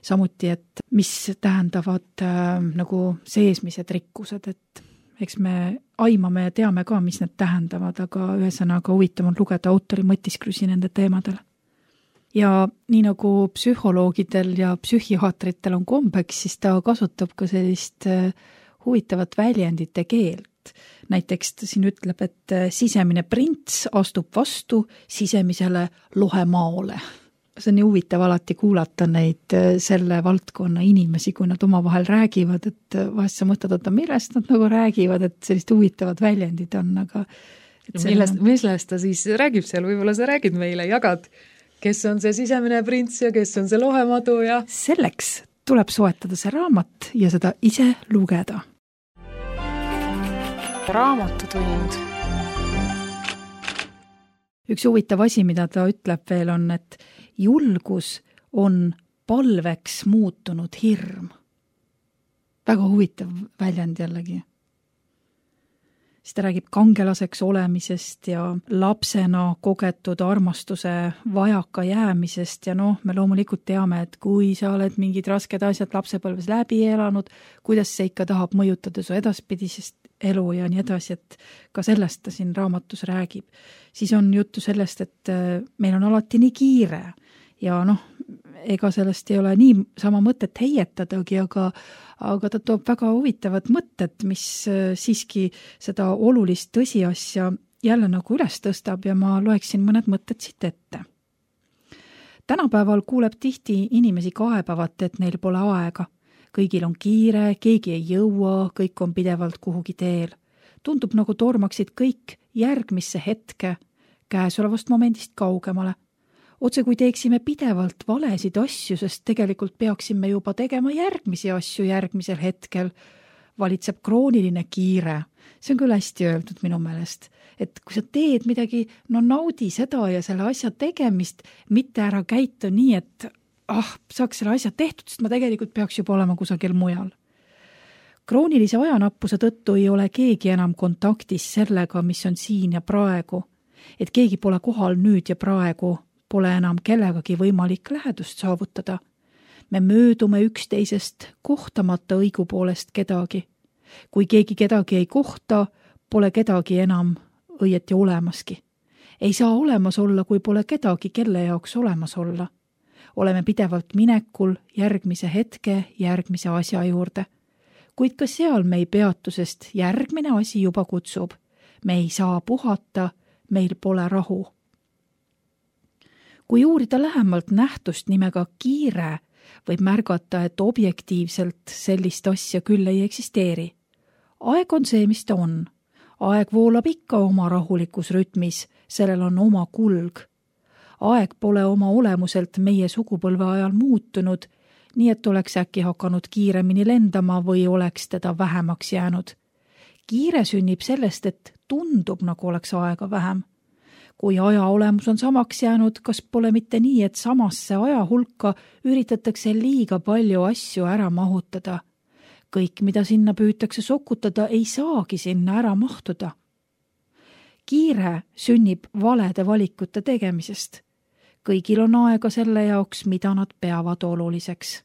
samuti, et mis tähendavad äh, nagu seesmised rikkused, et eks me aimame ja teame ka, mis need tähendavad, aga ühesõnaga huvitav on lugeda autori mõtisklusi nende teemadele. Ja nii nagu psühholoogidel ja psühhiaatritel on kombeks, siis ta kasutab ka sellist äh, huvitavat väljendite keelt. Näiteks ta siin ütleb, et sisemine prints astub vastu sisemisele lohemaole. See on nii huvitav alati kuulata neid selle valdkonna inimesi, kui nad omavahel räägivad, et vahest sa mõtled, et millest nad nagu räägivad, et sellist huvitavad väljendid on, aga millest, millest ta siis räägib seal, võib-olla sa räägid meile, jagad, kes on see sisemine prints ja kes on see lohemadu ja selleks tuleb soetada see raamat ja seda ise lugeda. Raamatutund. Üks huvitav asi, mida ta ütleb veel on, et julgus on palveks muutunud hirm. Väga huvitav väljend jällegi. siis ta räägib kangelaseks olemisest ja lapsena kogetud armastuse vajaka jäämisest ja noh, me loomulikult teame, et kui sa oled mingid rasked asjad lapsepõlves läbi elanud, kuidas see ikka tahab mõjutada su edaspidisest elu ja nii edasi, et ka sellest ta siin raamatus räägib. Siis on juttu sellest, et meil on alati nii kiire ja noh, ega sellest ei ole nii sama mõtet heietadagi, aga, aga ta toob väga huvitavad mõtted, mis siiski seda olulist tõsiasja jälle nagu üles tõstab ja ma loeksin mõned mõtted siit ette. Tänapäeval kuuleb tihti inimesi kaebavat, et neil pole aega. Kõigil on kiire, keegi ei jõua, kõik on pidevalt kuhugi teel. Tundub nagu tormaksid kõik järgmisse hetke, käesolevast momendist kaugemale. Otse kui teeksime pidevalt valesid asju, sest tegelikult peaksime juba tegema järgmisi asju järgmisel hetkel. Valitseb krooniline kiire. See on küll hästi öeldud minu meelest, et kui sa teed midagi, no naudi seda ja selle asja tegemist, mitte ära käitu nii, et ah, saaks selle asja tehtud, sest ma tegelikult peaks juba olema kusagil mujal. Kroonilise ajanappuse tõttu ei ole keegi enam kontaktis sellega, mis on siin ja praegu, et keegi pole kohal nüüd ja praegu, pole enam kellegagi võimalik lähedust saavutada. Me möödume üksteisest kohtamata õigupoolest kedagi. Kui keegi kedagi ei kohta, pole kedagi enam õieti olemaski. Ei saa olemas olla, kui pole kedagi, kelle jaoks olemas olla. Oleme pidevalt minekul järgmise hetke, järgmise asja juurde. Kuid ka seal me ei peatu, sest järgmine asi juba kutsub. Me ei saa puhata, meil pole rahu. Kui uurida lähemalt nähtust nimega kiire, võib märgata, et objektiivselt sellist asja küll ei eksisteeri. Aeg on see, mis ta on. Aeg voolab ikka oma rahulikus rütmis, sellel on oma kulg. Aeg pole oma olemuselt meie sugupõlve ajal muutunud, nii et oleks äkki hakanud kiiremini lendama või oleks teda vähemaks jäänud. Kiire sünnib sellest, et tundub, nagu oleks aega vähem. Kui aja olemus on samaks jäänud, kas pole mitte nii, et samasse aja hulka üritatakse liiga palju asju ära mahutada. Kõik, mida sinna püütakse sokutada, ei saagi sinna ära mahtuda. Kiire sünnib valede valikute tegemisest. Kõigil on aega selle jaoks, mida nad peavad oluliseks.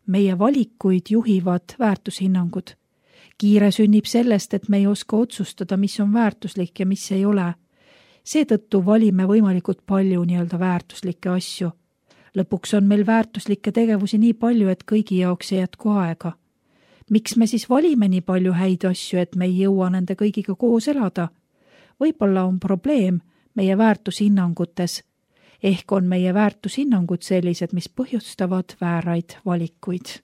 Meie valikuid juhivad väärtushinnangud. Kiire sünnib sellest, et me ei oska otsustada, mis on väärtuslik ja mis ei ole. Seetõttu valime võimalikult palju nii-öelda väärtuslikke asju. Lõpuks on meil väärtuslikke tegevusi nii palju, et kõigi jaoks ei jätku aega. Miks me siis valime nii palju häid asju, et me ei jõua nende kõigiga koos elada? Võib-olla on probleem meie väärtushinnangutes. Ehk on meie väärtushinnangud sellised, mis põhjustavad vääraid valikuid.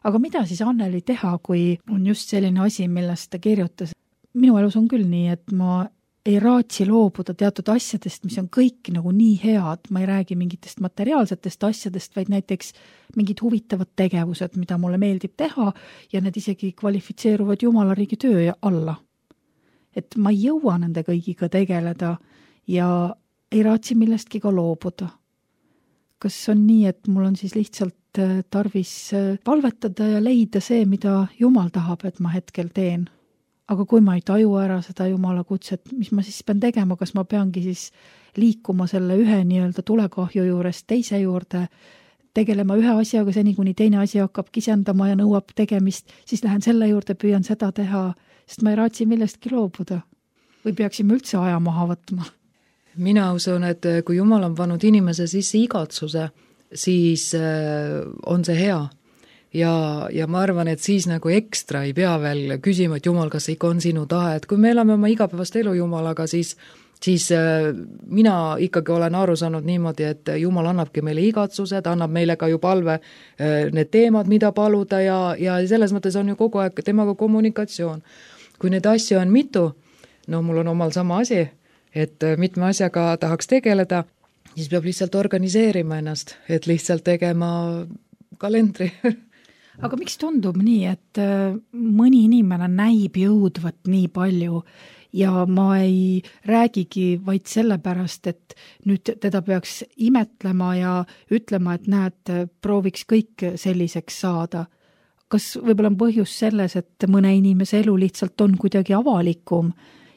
Aga mida siis Anneli teha, kui on just selline asi, millest ta kirjutas? Minu elus on küll nii, et ma ei raatsi loobuda teatud asjadest, mis on kõik nagu nii head. Ma ei räägi mingitest materiaalsetest asjadest, vaid näiteks mingid huvitavad tegevused, mida mulle meeldib teha ja need isegi kvalifitseeruvad Jumalariigi töö alla. Et ma ei jõua nende kõigiga tegeleda ja ei raatsi millestki ka loobuda. Kas on nii, et mul on siis lihtsalt tarvis palvetada ja leida see, mida Jumal tahab, et ma hetkel teen? Aga kui ma ei taju ära seda Jumala kutset, mis ma siis pean tegema, kas ma peangi siis liikuma selle ühe nii-öelda tulekahju juurest teise juurde, tegelema ühe asjaga seni, kuni teine asi hakkab kisendama ja nõuab tegemist, siis lähen selle juurde, püüan seda teha, sest ma ei raatsi millestki loobuda. Või peaksime üldse aja maha võtma? Mina usun, et kui Jumal on pannud inimese sisse igatsuse, siis on see hea. Ja, ja ma arvan, et siis nagu ekstra ei pea veel küsima, et Jumal, kas ikka on sinu tahe, et kui me elame oma igapäevast elu Jumalaga, siis, siis mina ikkagi olen aru saanud niimoodi, et Jumal annabki meile igatsused, annab meile ka ju palve need teemad, mida paluda ja, ja selles mõttes on ju kogu aeg temaga kommunikatsioon. Kui neid asju on mitu, no mul on omal sama asi, et mitme asjaga tahaks tegeleda, siis peab lihtsalt organiseerima ennast, et lihtsalt tegema kalendri. Aga miks tundub nii, et mõni inimene näib jõudvat nii palju ja ma ei räägigi vaid sellepärast, et nüüd teda peaks imetlema ja ütlema, et näed, prooviks kõik selliseks saada. kas võib-olla on põhjus selles, et mõne inimese elu lihtsalt on kuidagi avalikum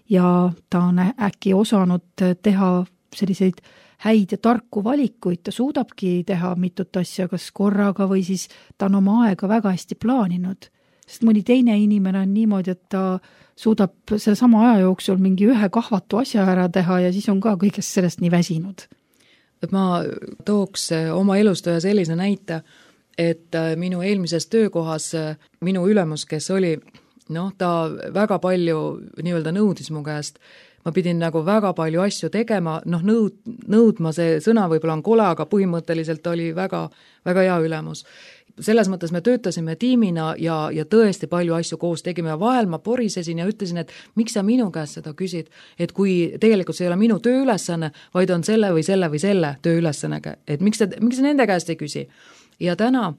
ja ta on äkki osanud teha selliseid häid ja tarku valikuid, ta suudabki teha mitut asja kas korraga või siis ta on oma aega väga hästi plaaninud. Sest mõni teine inimene on niimoodi, et ta suudab selle sama aja jooksul mingi ühe kahvatu asja ära teha ja siis on ka kõigest sellest nii väsinud. Et ma tooks oma elust ühe sellise näite, et minu eelmises töökohas minu ülemus, kes oli, noh, ta väga palju nii-öelda nõudis mu käest. Ma pidin nagu väga palju asju tegema, noh, nõud, nõudma see sõna võib-olla on kole, aga põhimõtteliselt oli väga, väga hea ülemus. Selles mõttes me töötasime tiimina ja, ja tõesti palju asju koos tegime ja vahel ma porisesin ja ütlesin, et miks sa minu käest seda küsid, et kui tegelikult see ei ole minu tööülesanne, vaid on selle või selle või selle tööülesannega, et miks sa, miks sa nende käest ei küsi. Ja täna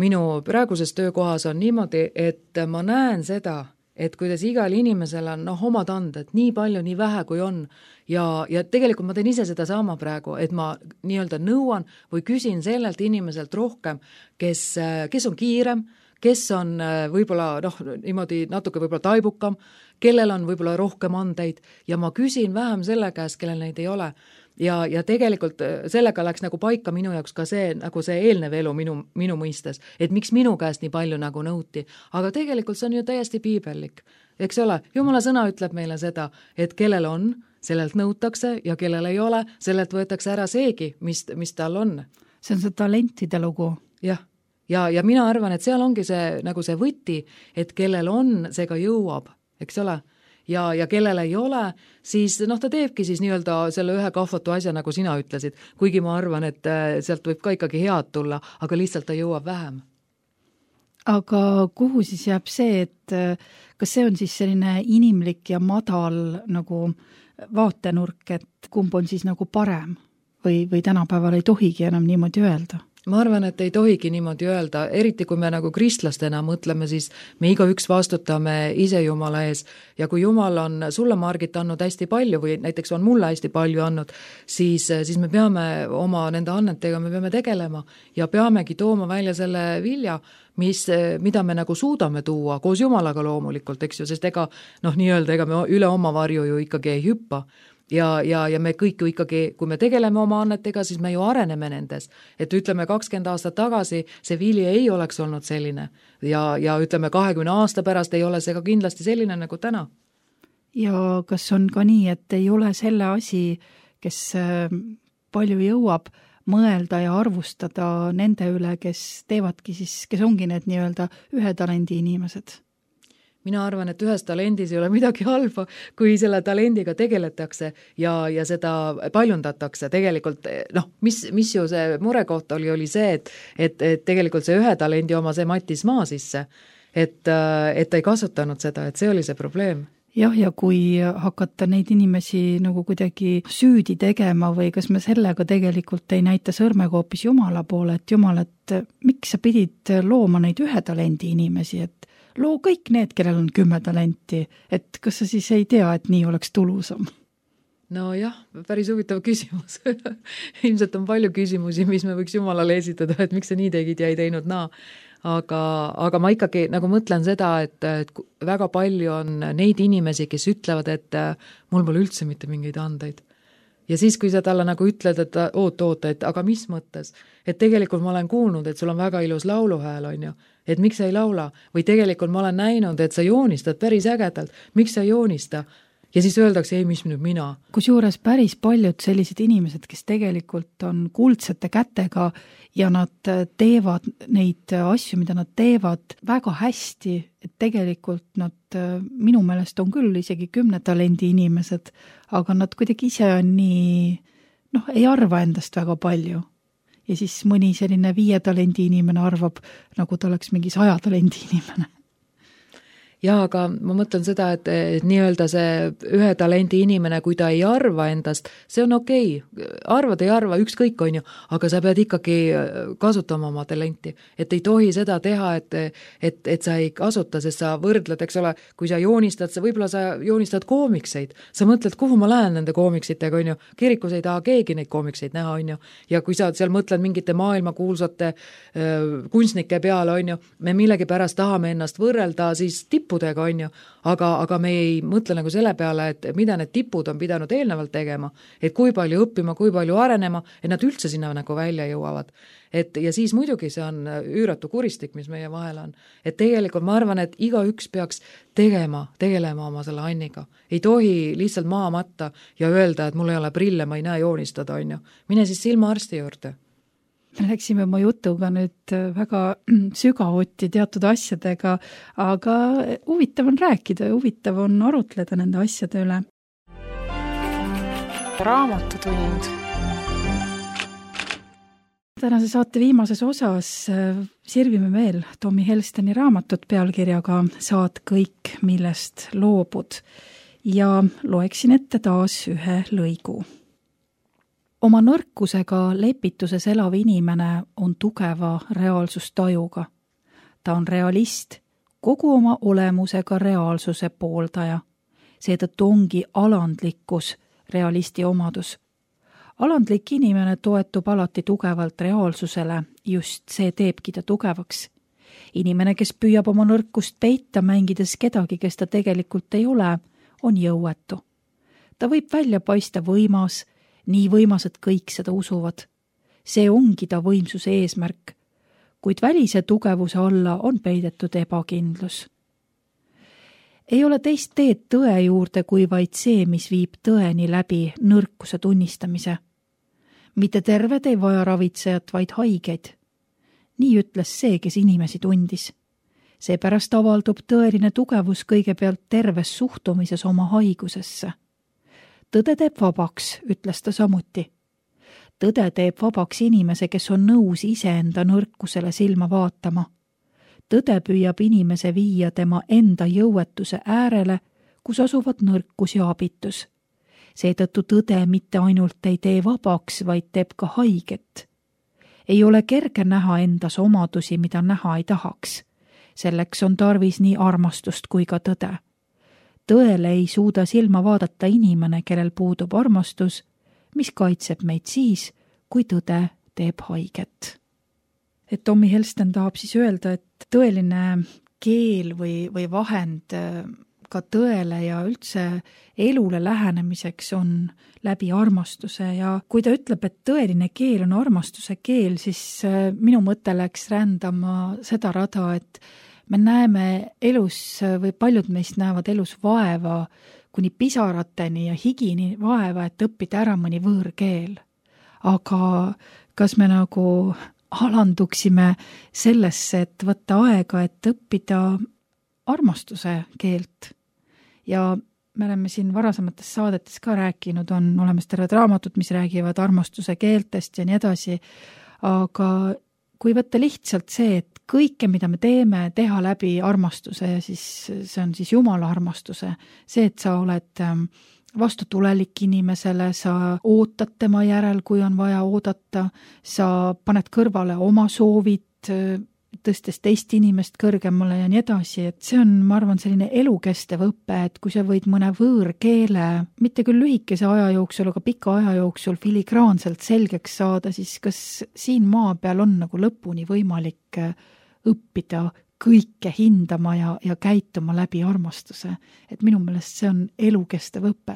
minu praeguses töökohas on niimoodi, et ma näen seda, et kuidas igal inimesel on noh, omad anded, nii palju, nii vähe kui on ja, ja tegelikult ma teen ise seda sama praegu, et ma nii-öelda nõuan või küsin sellelt inimeselt rohkem, kes, kes on kiirem, kes on võib-olla noh, niimoodi natuke võib-olla taibukam, kellel on võib-olla rohkem andeid ja ma küsin vähem selle käest, kellel neid ei ole. Ja, ja tegelikult sellega läks nagu paika minu jaoks ka see, nagu see eelnev elu minu, minu mõistes, et miks minu käest nii palju nagu nõuti, aga tegelikult see on ju täiesti piibellik, eks ole, Jumala sõna ütleb meile seda, et kellel on, sellelt nõutakse ja kellel ei ole, sellelt võetakse ära seegi, mis, mis tal on. See on see talentide lugu. Jah, ja, ja mina arvan, et seal ongi see, nagu see võti, et kellel on, see ka jõuab, eks ole. Ja, ja kellel ei ole, siis noh, ta teebki siis nii-öelda selle ühe kahvatu asja, nagu sina ütlesid, kuigi ma arvan, et sealt võib ka ikkagi head tulla, aga lihtsalt ta jõuab vähem. Aga kuhu siis jääb see, et kas see on siis selline inimlik ja madal nagu vaatenurk, et kumb on siis nagu parem või, või tänapäeval ei tohigi enam niimoodi öelda? Ma arvan, et ei tohigi niimoodi öelda, eriti kui me nagu kristlastena mõtleme, siis me igaüks vastutame ise Jumala ees ja kui Jumal on sulle, Margit, andnud hästi palju või näiteks on mulle hästi palju andnud, siis, siis me peame oma nende annetega, me peame tegelema ja peamegi tooma välja selle vilja, mis, mida me nagu suudame tuua koos Jumalaga loomulikult, eks ju, sest ega noh, nii-öelda, ega me üle oma varju ju ikkagi ei hüppa. Ja, ja, ja me kõik ju ikkagi, kui me tegeleme oma annetega, siis me ju areneme nendes. Et ütleme kakskümmend aastat tagasi see vili ei oleks olnud selline ja, ja ütleme kahekümne aasta pärast ei ole see ka kindlasti selline nagu täna. Ja kas on ka nii, et ei ole selle asi, kes palju jõuab mõelda ja arvustada nende üle, kes teevadki siis, kes ongi need nii-öelda ühe talendi inimesed? Mina arvan, et ühes talendis ei ole midagi halba, kui selle talendiga tegeletakse ja, ja seda paljundatakse. Tegelikult, noh, mis, mis ju see murekoht oli, oli see, et, et, et tegelikult see ühe talendi oma see mattis maa sisse, et, et ta ei kasutanud seda, et see oli see probleem. Jah, ja kui hakata neid inimesi nagu kuidagi süüdi tegema või kas me sellega tegelikult ei näita sõrmega hoopis Jumala poole, et Jumal, et miks sa pidid looma neid ühe talendi inimesi, et loo kõik need, kellel on kümme talenti, et kas sa siis ei tea, et nii oleks tulusam? No jah, päris huvitav küsimus. Ilmselt on palju küsimusi, mis me võiks Jumalale esitada, et miks sa nii tegid ja ei teinud naa. Aga, aga ma ikkagi nagu mõtlen seda, et, et väga palju on neid inimesi, kes ütlevad, et mul pole üldse mitte mingeid andeid. Ja siis, kui sa talle nagu ütled, et oota, oota, et aga mis mõttes? Et tegelikult ma olen kuulnud, et sul on väga ilus lauluhääl, on ju, et miks sa ei laula? Või tegelikult ma olen näinud, et sa joonistad päris ägedalt, miks sa ei joonista? Ja siis öeldakse, ei, mis nüüd mina. Kusjuures päris paljud sellised inimesed, kes tegelikult on kuldsete kätega ja nad teevad neid asju, mida nad teevad väga hästi, et tegelikult nad minu meelest on küll isegi kümne talendi inimesed, aga nad kuidagi ise on nii, noh, ei arva endast väga palju. Ja siis mõni selline viie talendi inimene arvab, nagu ta oleks mingi saja talendi inimene. ja aga ma mõtlen seda, et, et nii-öelda see ühe talendi inimene, kui ta ei arva endast, see on okei okay., arvad ei arva, ükskõik on ju, aga sa pead ikkagi kasutama oma talenti, et ei tohi seda teha, et, et, et sa ei kasuta, sest sa võrdled, eks ole, kui sa joonistad, sa võib-olla sa joonistad koomikseid, sa mõtled, kuhu ma lähen nende koomiksitega, on ju, kirikus ei taha keegi neid koomikseid näha, on ju, ja kui sa seal mõtled mingite maailma kuulsate äh, kunstnike peale, on ju, me millegi pärast tahame ennast võrrelda siis tippudega, on ju, aga, aga me ei mõtle nagu selle peale, et mida need tipud on pidanud eelnevalt tegema, et kui palju õppima, kui palju arenema, et nad üldse sinna nagu välja jõuavad. Et, ja siis muidugi see on üüratu kuristik, mis meie vahel on. Et tegelikult ma arvan, et igaüks peaks tegema, tegelema oma selle Anniga. Ei tohi lihtsalt maha matta ja öelda, et mul ei ole prille, ma ei näe joonistada, on ju. Mine siis silmaarsti juurde. Me läksime oma jutuga nüüd väga sügavuti teatud asjadega, aga huvitav on rääkida ja huvitav on arutleda nende asjade üle. Raamatutund. Tänase saate viimases osas sirvime veel Tommy Helsteni raamatut pealkirjaga Saad kõik, millest loobud ja loeksin ette taas ühe lõigu. Oma nõrkusega lepituses elav inimene on tugeva reaalsustajuga. Ta on realist, kogu oma olemusega reaalsuse pooldaja. Seetõttu ongi alandlikkus realisti omadus. Alandlik inimene toetub alati tugevalt reaalsusele, just see teebki ta tugevaks. Inimene, kes püüab oma nõrkust peita, mängides kedagi, kes ta tegelikult ei ole, on jõuetu. Ta võib välja paista võimas, nii võimas, et kõik seda usuvad. See ongi ta võimsuse eesmärk, kuid välise tugevuse alla on peidetud ebakindlus. Ei ole teist teed tõe juurde, kui vaid see, mis viib tõeni läbi nõrkuse tunnistamise. Mitte terved ei vaja ravitsejat, vaid haigeid. Nii ütles see, kes inimesi tundis. Seepärast avaldub tõeline tugevus kõigepealt terves suhtumises oma haigusesse. Tõde teeb vabaks, ütles ta samuti. Tõde teeb vabaks inimese, kes on nõus iseenda nõrkusele silma vaatama. Tõde püüab inimese viia tema enda jõuetuse äärele, kus asuvad nõrkus ja abitus. Seetõttu tõde mitte ainult ei tee vabaks, vaid teeb ka haiget. Ei ole kerge näha endas omadusi, mida näha ei tahaks. Selleks on tarvis nii armastust kui ka tõde. Tõele ei suuda silma vaadata inimene, kellel puudub armastus, mis kaitseb meid siis, kui tõde teeb haiget. Et Tommy Helsten tahab siis öelda, et tõeline keel või, või vahend ka tõele ja üldse elule lähenemiseks on läbi armastuse ja kui ta ütleb, et tõeline keel on armastuse keel, siis minu mõte läks rändama seda rada, et me näeme elus või paljud meist näevad elus vaeva kuni pisarateni ja higini vaeva, et õppida ära mõni võõrkeel. Aga kas me nagu alanduksime sellesse, et võtta aega, et õppida armastuse keelt. Ja me oleme siin varasemates saadetes ka rääkinud, on olemas terved raamatud, mis räägivad armastuse keeltest ja nii edasi, aga kui võtta lihtsalt see, et kõike, mida me teeme, teha läbi armastuse ja siis see on siis Jumala armastuse, see, et sa oled vastutulelik inimesele, sa ootad tema järel, kui on vaja oodata, sa paned kõrvale oma soovid, tõstes teist inimest kõrgemale ja nii edasi, et see on, ma arvan, selline elukestev õpe, et kui sa võid mõne võõrkeele, mitte küll lühikese aja jooksul, aga pika aja jooksul filigraanselt selgeks saada, siis kas siin maa peal on nagu lõpuni võimalik õppida kõike hindama ja, ja käituma läbi armastuse. Et minu meelest see on elukestev õpe.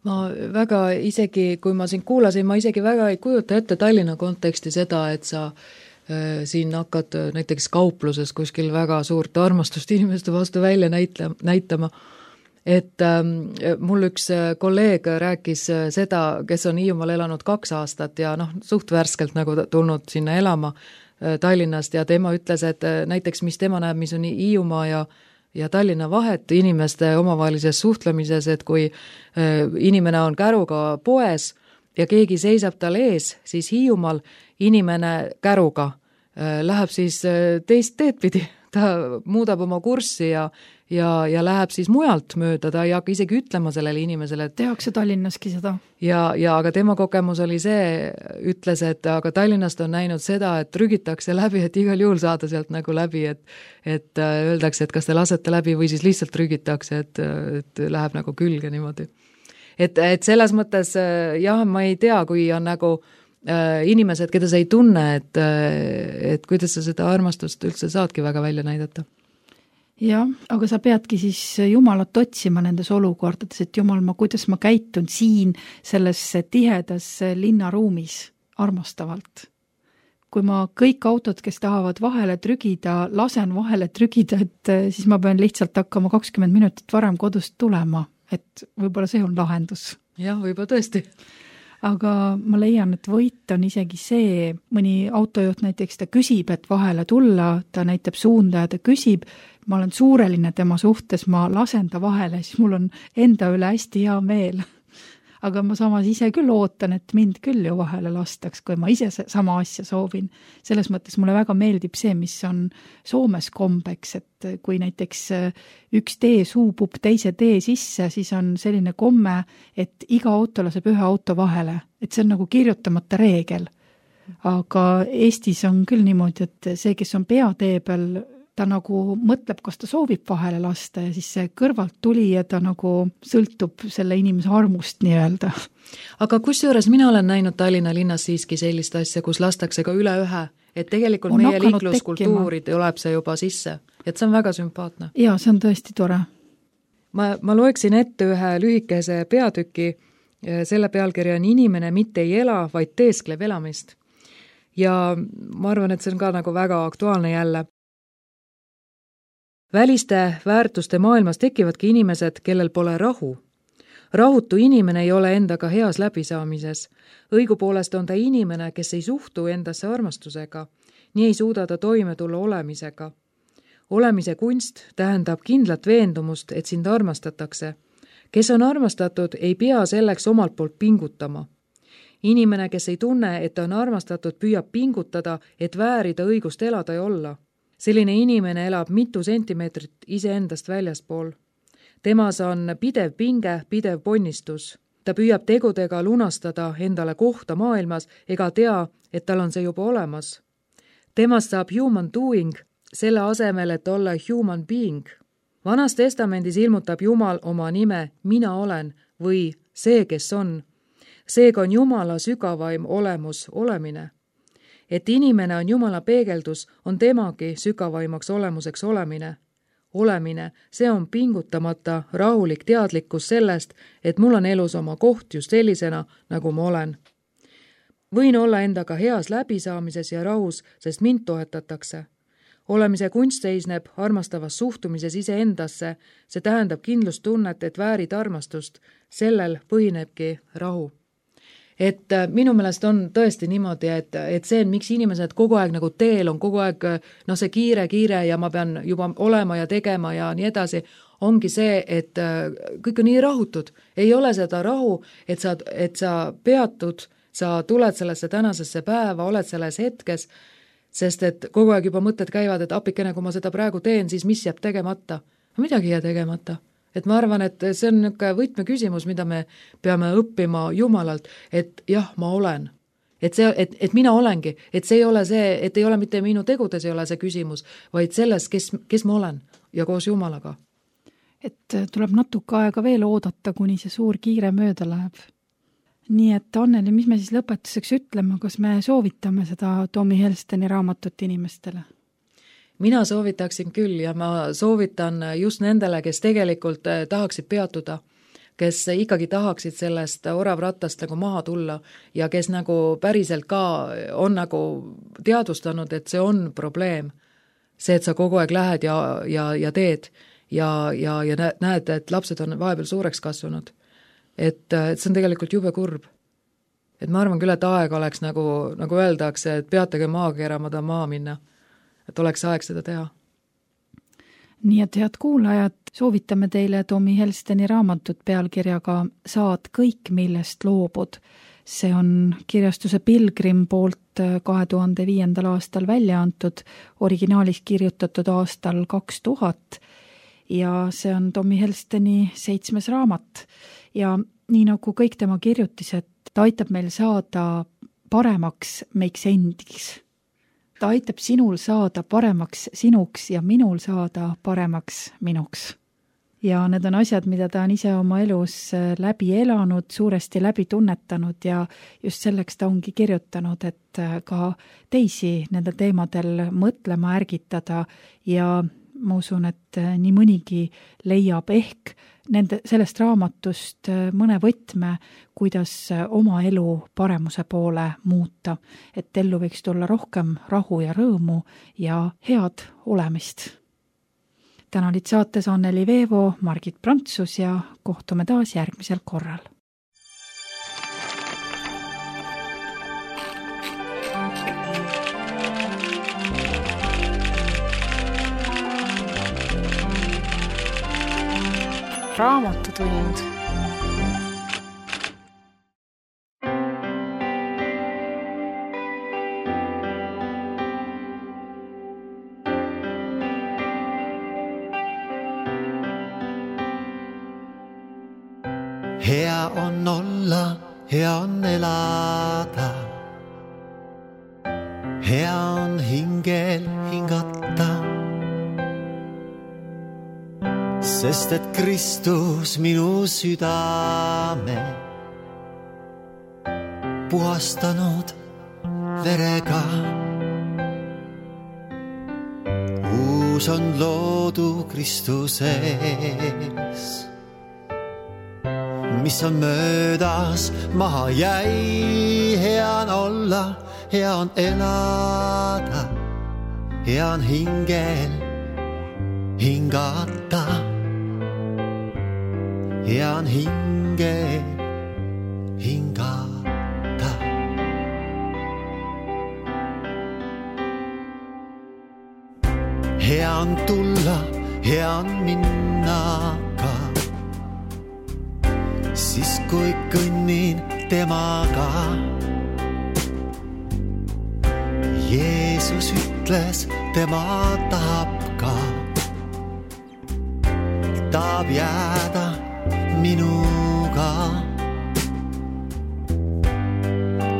Ma väga isegi, kui ma sind kuulasin, ma isegi väga ei kujuta ette Tallinna konteksti seda, et sa äh, siin hakkad näiteks kaupluses kuskil väga suurt armastust inimeste vastu välja näitla, näitama. Et ähm, mul üks kolleeg rääkis seda, kes on Hiiumaal elanud kaks aastat ja noh, suht värskelt nagu tulnud sinna elama Tallinnast ja tema ütles, et näiteks mis tema näeb, mis on Hiiumaa ja, ja Tallinna vahet inimeste omavahelises suhtlemises, et kui inimene on käruga poes ja keegi seisab tal ees, siis Hiiumaal inimene käruga läheb siis teist teed pidi, ta muudab oma kurssi ja, ja, ja läheb siis mujalt mööda, ta ei hakka isegi ütlema sellele inimesele, et tehakse Tallinnaski seda. Ja, ja aga tema kogemus oli see, ütles, et aga Tallinnast on näinud seda, et trügitakse läbi, et igal juhul saada sealt nagu läbi, et, et öeldakse, et kas te lasete läbi või siis lihtsalt trügitakse, et, et läheb nagu külge niimoodi. Et, et selles mõttes jah, ma ei tea, kui on nagu äh, inimesed, keda sa ei tunne, et, et kuidas sa seda armastust üldse saadki väga välja näidata. Jah, aga sa peadki siis Jumalat otsima nendes olukordades, et Jumal, ma, kuidas ma käitun siin selles tihedas linnaruumis armastavalt. Kui ma kõik autod, kes tahavad vahele trügida, lasen vahele trügida, et siis ma pean lihtsalt hakkama kakskümmend minutit varem kodust tulema, et võib-olla see on lahendus. Jah, võib-olla tõesti. Aga ma leian, et võit on isegi see, mõni autojuht näiteks ta küsib, et vahele tulla, ta näitab suunda ja ta küsib, ma olen suureline tema suhtes, ma lasen ta vahele, siis mul on enda üle hästi hea meel. Aga ma samas ise küll ootan, et mind küll ju vahele lastaks, kui ma ise sama asja soovin. Selles mõttes mulle väga meeldib see, mis on Soomes kombeks, et kui näiteks üks tee suubub teise tee sisse, siis on selline komme, et iga auto laseb ühe auto vahele, et see on nagu kirjutamata reegel. Aga Eestis on küll niimoodi, et see, kes on peatee peal, ta nagu mõtleb, kas ta soovib vahele lasta ja siis see kõrvalt tuli ja ta nagu sõltub selle inimese armust nii öelda. Aga kusjuures mina olen näinud Tallinna linnas siiski sellist asja, kus lastakse ka üle ühe, et tegelikult on meie liikluskultuuri tuleb see juba sisse, et see on väga sümpaatne. Jaa, see on tõesti tore. Ma, ma loeksin ette ühe lühikese peatüki, selle pealkirja on Inimene mitte ei ela, vaid teeskleb elamist. Ja ma arvan, et see on ka nagu väga aktuaalne jälle. Väliste väärtuste maailmas tekivadki inimesed, kellel pole rahu. Rahutu inimene ei ole endaga heas läbisaamises. Õigupoolest on ta inimene, kes ei suhtu endasse armastusega. Nii ei suuda ta toime tulla olemisega. Olemise kunst tähendab kindlat veendumust, et sind armastatakse. Kes on armastatud, ei pea selleks omalt poolt pingutama. Inimene, kes ei tunne, et ta on armastatud, püüab pingutada, et väärida õigust elada ja olla. Selline inimene elab mitu sentimeetrit iseendast väljaspool. Temas on pidev pinge, pidev ponnistus. Ta püüab tegudega lunastada endale kohta maailmas ega tea, et tal on see juba olemas. Temast saab human doing, selle asemel, et olla human being. Vanas testamendis ilmutab Jumal oma nime mina olen või see, kes on. Seega on Jumala sügavaim olemus olemine. Et inimene on Jumala peegeldus, on temagi sügavaimaks olemuseks olemine. Olemine, see on pingutamata rahulik teadlikkus sellest, et mul on elus oma koht just sellisena, nagu ma olen. Võin olla endaga heas läbisaamises ja rahus, sest mind toetatakse. Olemise kunst seisneb armastavas suhtumises iseendasse, see tähendab kindlustunnet, et väärid armastust, sellel põhinebki rahu. Et minu meelest on tõesti niimoodi, et, et see on, miks inimesed kogu aeg nagu teel on kogu aeg no see kiire, kiire ja ma pean juba olema ja tegema ja nii edasi, ongi see, et kõik on nii rahutud. Ei ole seda rahu, et sa, et sa peatud, sa tuled sellesse tänasesse päeva, oled selles hetkes, sest et kogu aeg juba mõtted käivad, et apikene, kui ma seda praegu teen, siis mis jääb tegemata? Midagi jää tegemata. Et ma arvan, et see on niisugune võtmeküsimus, mida me peame õppima Jumalalt, et jah, ma olen. Et, see, et, et mina olengi, et see ei ole see, et ei ole mitte minu tegudes ei ole see küsimus, vaid selles, kes, kes ma olen ja koos Jumalaga. Et tuleb natuke aega veel oodata, kuni see suur kiire mööda läheb. Nii et Anneli, mis me siis lõpetuseks ütlema, kas me soovitame seda Tommy Helsteni raamatut inimestele? Mina soovitaksin küll ja ma soovitan just nendele, kes tegelikult tahaksid peatuda, kes ikkagi tahaksid sellest oravrattast nagu maha tulla ja kes nagu päriselt ka on nagu teadvustanud, et see on probleem. See, et sa kogu aeg lähed ja, ja, ja teed ja, ja, ja näed, et lapsed on vahepeal suureks kasvanud. Et, et see on tegelikult jube kurb. Et ma arvan küll, et aeg oleks nagu, nagu öeldakse, et peatage maakera, ma tahan maa minna. Et oleks aeg seda teha. Nii et head kuulajad, soovitame teile Tommy Helsteni raamatut pealkirjaga Saad kõik, millest loobud. see on kirjastuse Pilgrim poolt kahe tuhande viiendal aastal välja antud, originaalis kirjutatud aastal kaks tuhat ja see on Tommy Helsteni seitsmes raamat. Ja nii nagu kõik tema kirjutised, ta aitab meil saada paremaks meiks endiks. Ta aitab sinul saada paremaks sinuks ja minul saada paremaks minuks. Ja need on asjad, mida ta on ise oma elus läbi elanud, suuresti läbi tunnetanud ja just selleks ta ongi kirjutanud, et ka teisi nende teemadel mõtlema ärgitada ja ma usun, et nii mõnigi leiab ehk nende, sellest raamatust mõne võtme, kuidas oma elu paremuse poole muuta, et ellu võiks tulla rohkem rahu ja rõõmu ja head olemist. Täna olid saates Anneli Veevo, Margit Prantsus ja kohtume taas järgmisel korral. Raamatutund. Hea on olla, hea on elada. Hea on hingel hingata. Sest et Kristus minu südame puhastanud verega. Uus on loodu Kristuses, mis on möödas maha jäi. Hea on olla, hea on elada, hea on hingel hingata. Hea on hingel hingata. Hea on tulla, hea on minna ka, siis kui kõnnin temaga. Jeesus ütles, tema tahab ka, tahab jääda minuga.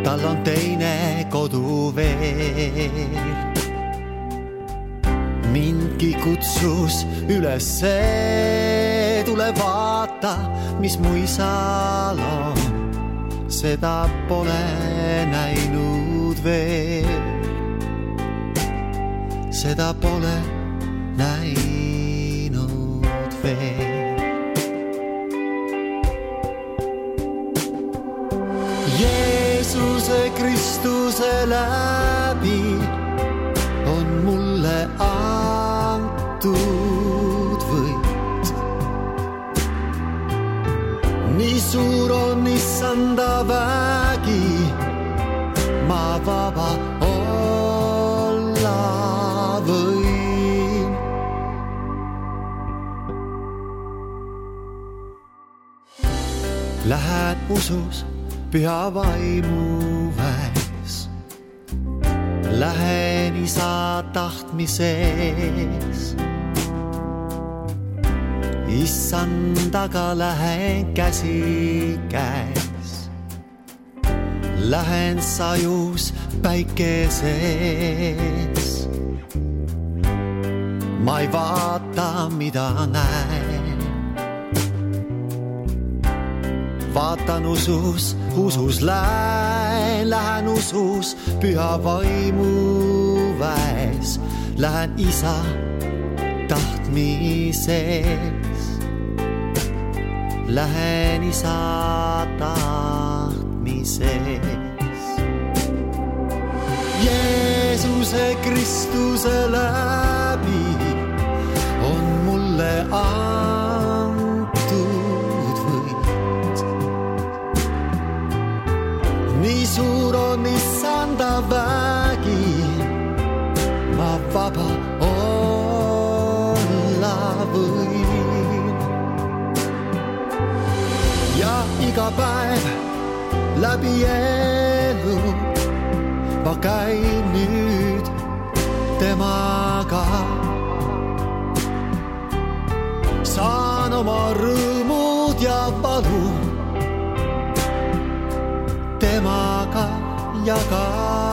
Tal on teine kodu veel. Mindki kutsus ülesse, tule vaata, mis mu isal on. Seda pole näinud veel. Seda pole näinud veel. Jeesuse Kristuse läbi on mulle antud võit. Nii suur on issanda vägi, ma vaba olla võin. Lähen usus püha vaimu väes, lähen isa tahtmises. Issandaga lähen käsi käes, lähen sajus päikeses. Ma ei vaata, mida näen, vaatan usus, usus lähen, lähen usus püha vaimu väes, lähen isa tahtmises, lähen isa tahtmises. Jeesuse Kristuse läbi on mulle antud võit. Nii suur on issanda vägi, ma vaba olla võin. Ja iga päev läbi elu. Ma käin nüüd temaga. Saan oma rõõmud ja valu temaga jaga.